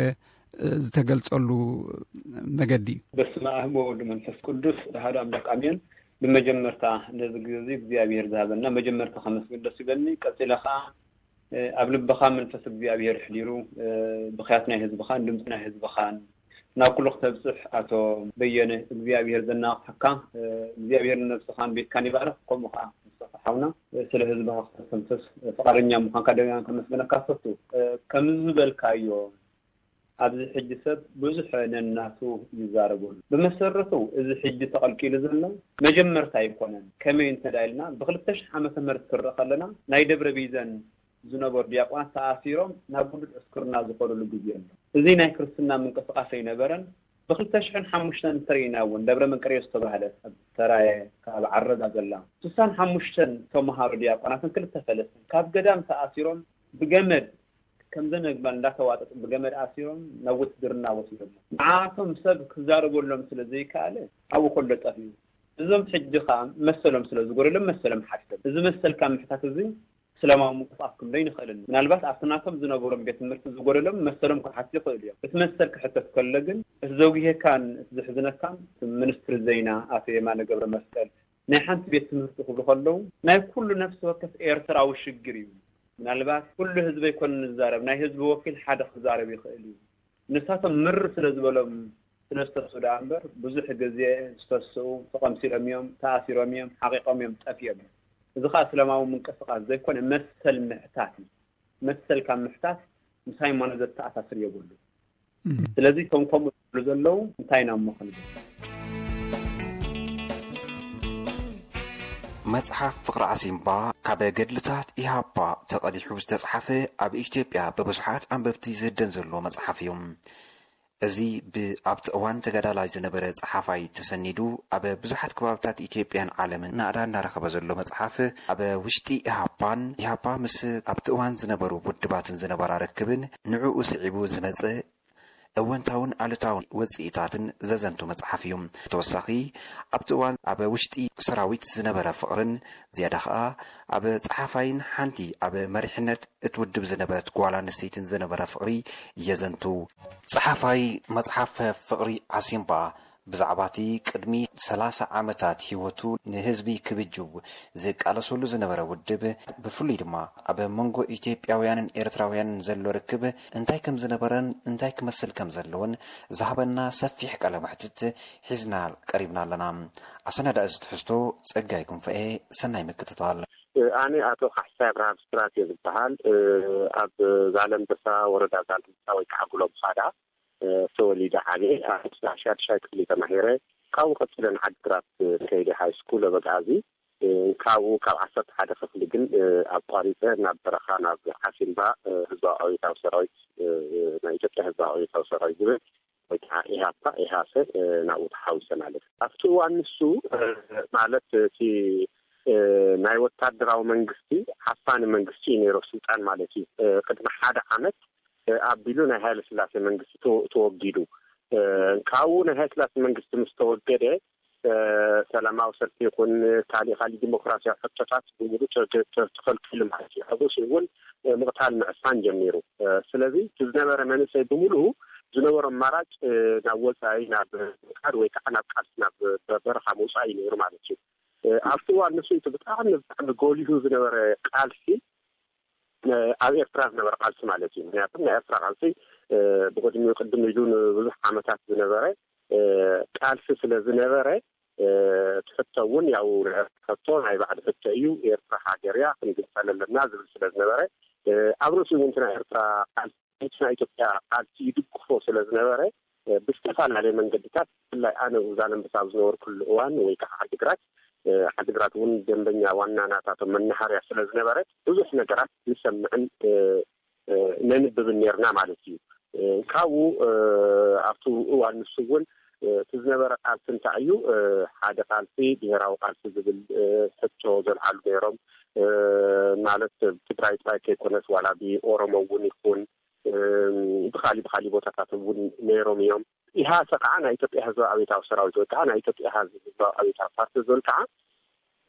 ዝተገልጸሉ መገዲ እዩ? በስመ ኣብ ወወልድ መንፈስ ቅዱስ ኣሐዱ ኣምላክ ኣሜን። ብመጀመርታ ነዚ ግዜ እዚ እግዚኣብሔር ዝሃበና መጀመርታ ከመስግን ደስ ይብለኒ። ቀጺለ ከዓ ኣብ ልብኻ መንፈስ እግዚኣብሔር ኣሕዲሩ ብኽያት ናይ ህዝብኻን ድምፂ ናይ ህዝብኻን ናብ ኩሉ ክተብፅሕ ኣቶ በየነ እግዚኣብሔር ዘናቕሓካ እግዚኣብሔር ንነብስኻን ቤትካን ይባርኽ። ከምኡ ከዓ ሓውና ስለ ህዝብኻ ክተስተንፍስ ፍቃደኛ ምዃንካ ደጋን ከመስግነካ ፈቱ። ከም ዝበልካዮ ኣብዚ ሕጂ ሰብ ብዙሕ ነናቱ ይዛረበሉ። ብመሰረቱ እዚ ሕጂ ተቐልቂሉ ዘሎ መጀመርታ ኣይኮነን። ከመይ እንተ ኢልና ብክልተ ሽሕ ዓመተ ምህረት ክረእ ከለና ናይ ደብረ ቢዘን ዝነበሩ ዲያቆናት ተኣሲሮም ናብ ውዱድ ዕስክርና ዝኸዱሉ ግዜ ኣሎ። እዚ ናይ ክርስትና ምንቅስቃስ ኣይነበረን። ብክልተ ሽሕን ሓሙሽተን እንተሪእና እውን ደብረ መንቀርዮስ ዝተባህለ ኣብ ተራየ ካብ ዓረዳ ዘላ ስሳን ሓሙሽተን ተምሃሮ ዲያቆናትን ክልተ ፈለስትን ካብ ገዳም ተኣሲሮም ብገመድ ከምዘን ኣግማል እንዳተዋጠጡ ብገመድ ኣሲሮም ናብ ውትድርና ወሲዶም። ንዓቶም ሰብ ክዛረበሎም ስለ ዘይከኣለ ኣብኡ ከሎ ጠፍዩ። እዞም ሕጂ ከዓ መሰሎም ስለ ዝጎደሎም መሰሎም ሓቲቶም። እዚ መሰልካ ምሕታት እዚ እስላማዊ ምንቅስቃስ ክንብሎ ኣይንኽእልን። ምናልባት ኣብቲ ናቶም ዝነበሮም ቤት ትምህርቲ ዝጎደሎም መሰሎም ክሓቱ ይኽእሉ እዮም። እቲ መሰል ክሕተት ከሎ ግን እቲ ዘጉሄካን እቲ ዘሕዝነካን እቲ ሚኒስትሪ ዜና ኣቶ የማነ ገብረ መስቀል ናይ ሓንቲ ቤት ትምህርቲ ክብሉ ከለዉ ናይ ኩሉ ነፍሲ ወከፍ ኤርትራዊ ሽግር እዩ። ምናልባት ኩሉ ህዝቢ ኣይኮነን ዝዛረብ፣ ናይ ህዝቢ ወኪል ሓደ ክዛረብ ይኽእል እዩ። ንሳቶም ምር ስለ ዝበሎም ስለ ዝተስኡ ደኣ እምበር ብዙሕ ግዜ ዝተስኡ ተቐምሲሎም እዮም፣ ተኣሲሮም እዮም፣ ሓቒቖም እዮም፣ ጠፊኦም እዮም። እዚ ከዓ እስላማዊ ምንቅስቃስ ዘይኮነ መሰል ምሕታት እዩ። መሰል ካብ ምሕታት ምስ ሃይማኖት ዘተኣሳስር የብሉ። ስለዚ እቶም ከምኡ ዝብሉ ዘለዉ እንታይ ኢና እሞ ክንብል? መጽሓፍ ፍቕሪ ዓሲምባ ካብ ገድልታት ኢሃፓ ተቐዲሑ ዝተጻሓፈ፣ ኣብ ኢትዮጵያ ብብዙሓት ኣንበብቲ ዝህደን ዘሎ መጽሓፍ እዩ። እዚ ብኣብቲ እዋን ተጋዳላይ ዝነበረ ጸሓፋይ ተሰኒዱ ኣብ ብዙሓት ከባብታት ኢትዮጵያን ዓለምን ናእዳ እናረኸበ ዘሎ መጽሓፍ፣ ኣብ ውሽጢ ኢሃፓን ኢሃፓ ምስ ኣብቲ እዋን ዝነበሩ ውድባትን ዝነበራ ርክብን ንዕኡ ስዒቡ ዝመጸ እወንታውን ኣሉታውን ወጽኢታትን ዘዘንቱ መጽሓፍ እዩ። ተወሳኺ ኣብቲ እዋን ኣብ ውሽጢ ሰራዊት ዝነበረ ፍቕርን ዝያዳ ኸኣ ኣብ ጸሓፋይን ሓንቲ ኣብ መሪሕነት እቲ ውድብ ዝነበረት ጓል ኣንስተይትን ዝነበረ ፍቕሪ የዘንቱ። ጸሓፋይ መጽሓፍ ፍቕሪ ዓሲምባ ብዛዕባ እቲ ቅድሚ ሰላሳ ዓመታት ህይወቱ ንህዝቢ ክብጅው ዝቃለሰሉ ዝነበረ ውድብ፣ ብፍሉይ ድማ ኣብ መንጎ ኢትዮጵያውያንን ኤርትራውያንን ዘሎ ርክብ እንታይ ከም ዝነበረን እንታይ ክመስል ከም ዘለዎን ዝሃበና ሰፊሕ ቃለ መሕትት ሒዝና ቀሪብና ኣለና። ኣሰናዳኢ እዚ ትሕዝቶ ጸጋይ ክንፈኤ። ሰናይ ምክትታል። ኣነ ኣቶ ካሕሳይ ኣብርሃም ስራት እየ ዝበሃል። ኣብ ዛለምበሳ፣ ወረዳ ዛለምበሳ ወይ ከዓ ጉሎ ብኻዳ ተወሊደ ዓብየ። ኣብ ሻድሻይ ክፍሊ ተማሂረ። ካብኡ ቀፂለ ንዓዲግራት ከይደ ሃይ ስኩል ኣበጋዚ። ካብኡ ካብ ዓሰርተ ሓደ ክፍሊ ግን ኣቋሪፀ ናብ በረኻ፣ ናብ ዓሲምባ፣ ህዝባዊ ኣብዮታዊ ሰራዊት፣ ናይ ኢትዮጵያ ህዝባዊ ኣብዮታዊ ሰራዊት ዝብል ወይ ከዓ ኢሃፓ፣ ኢሃሰ፣ ናብኡ ተሓዊሰ ማለት እዩ። ኣብቲ እዋን ንሱ ማለት እቲ ናይ ወታደራዊ መንግስቲ ዓፋኒ መንግስቲ እዩ ነይሩ፣ ስልጣን ማለት እዩ። ቅድሚ ሓደ ዓመት ኣቢሉ ናይ ሃይለ ስላሴ መንግስቲ ተወ-፣ ተወጊዱ። ካብኡ ናይ ሃይለ ስላሴ መንግስቲ ምስ ተወገደ፣ ሰላማዊ ሰልፊ ይኹን ካሊእ ካሊእ ዲሞክራሲያዊ ሕቶታት ብምሉእ ተ-፣ ተ-፣ ተ-፣ ተኸልኪሉ ማለት እዩ። ኣብኡ እውን ምቕታል ምዕፋን ጀሚሩ። ስለዚ እቲ ዝነበረ መንእሰይ ብምሉኡ ዝነበሮ ኣማራጭ ናብ ወፃኢ፣ ናብ ምኻድ ወይ ከዓ ናብ ቃልሲ፣ ናብ በረኻ ምውፃእ እዩ ነይሩ ማለት እዩ። ኣብቲ እዋን ንሱ እቲ ብጣዕሚ፣ ብጣዕሚ ጎሊሁ ዝነበረ ቃልሲ ኣብ ኤርትራ ዝነበረ ቃልሲ ማለት እዩ። ምክንያቱ ናይ ኤርትራ ቃልሲ ብቅድሚኡ ቅድም ኢሉ ንብዙሕ ዓመታት ዝነበረ ቃልሲ ስለ ዝነበረ፣ እቲ ሕቶ እውን ያው ናይ ኤርትራ ሕቶ ናይ ባዕዲ ሕቶ እዩ። ኤርትራ ሃገር እያ፣ ክንግንጸል ኣለና ዝብል ስለ ዝነበረ፣ ኣብ ርእሲ እውን እቲ ናይ ኤርትራ ቃልሲ ናይ ኢትዮጵያ ቃልሲ ይድግፎ ስለ ዝነበረ፣ ብዝተፈላለየ መንገድታት፣ ብፍላይ ኣነ ዛላንበሳ ኣብ ዝነበርኩሉ እዋን ወይ ከዓ ዓዲግራት፣ ዓዲግራት እውን ደንበኛ ዋና ናታቶም መናሃርያ ስለ ዝነበረት ብዙሕ ነገራት ንሰምዕን ነንብብን ነርና ማለት እዩ። ካብኡ ኣብቲ እዋን ንሱ እውን እቲ ዝነበረ ቃልሲ እንታይ እዩ፣ ሓደ ቃልሲ ብሄራዊ ቃልሲ ዝብል ሕቶ ዘልዓሉ ነይሮም። ማለት ትግራይ ጥራይ ከይኮነስ ዋላ ብኦሮሞ እውን ይኹን ብካሊ ብካሊ ቦታታት እውን ነይሮም እዮም። ኢሃሰ ከዓ ናይ ኢትዮጵያ ህዝባዊ ኣብዮታዊ ሰራዊት ወይ ከዓ ናይ ኢትዮጵያ ህዝባዊ ኣብዮታዊ ፓርቲ ዝብል ከዓ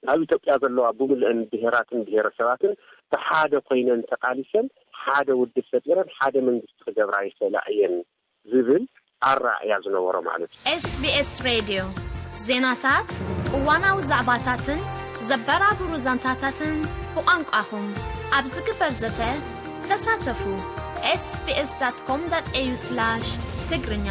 ኣብ ኢትዮጵያ ዘለዋ ብምልአን ብሄራትን ብሄረሰባትን ብሓደ ኮይነን ተቃሊሰን ሓደ ውድብ ፈጢረን ሓደ መንግስቲ ክገብራ ይኽእላ እየን ዝብል ኣራእያ ዝነበሮ ማለት እዩ። SBS ሬድዮ ዜናታት፣ እዋናዊ ዛዕባታትን ዘበራብሩ ዛንታታትን ብቋንቋኹም ኣብ ዝግበር ዘተ ተሳተፉ። ኤስቢኤስ ዳት ኮም ዳት ኤዩ ስላሽ ትግርኛ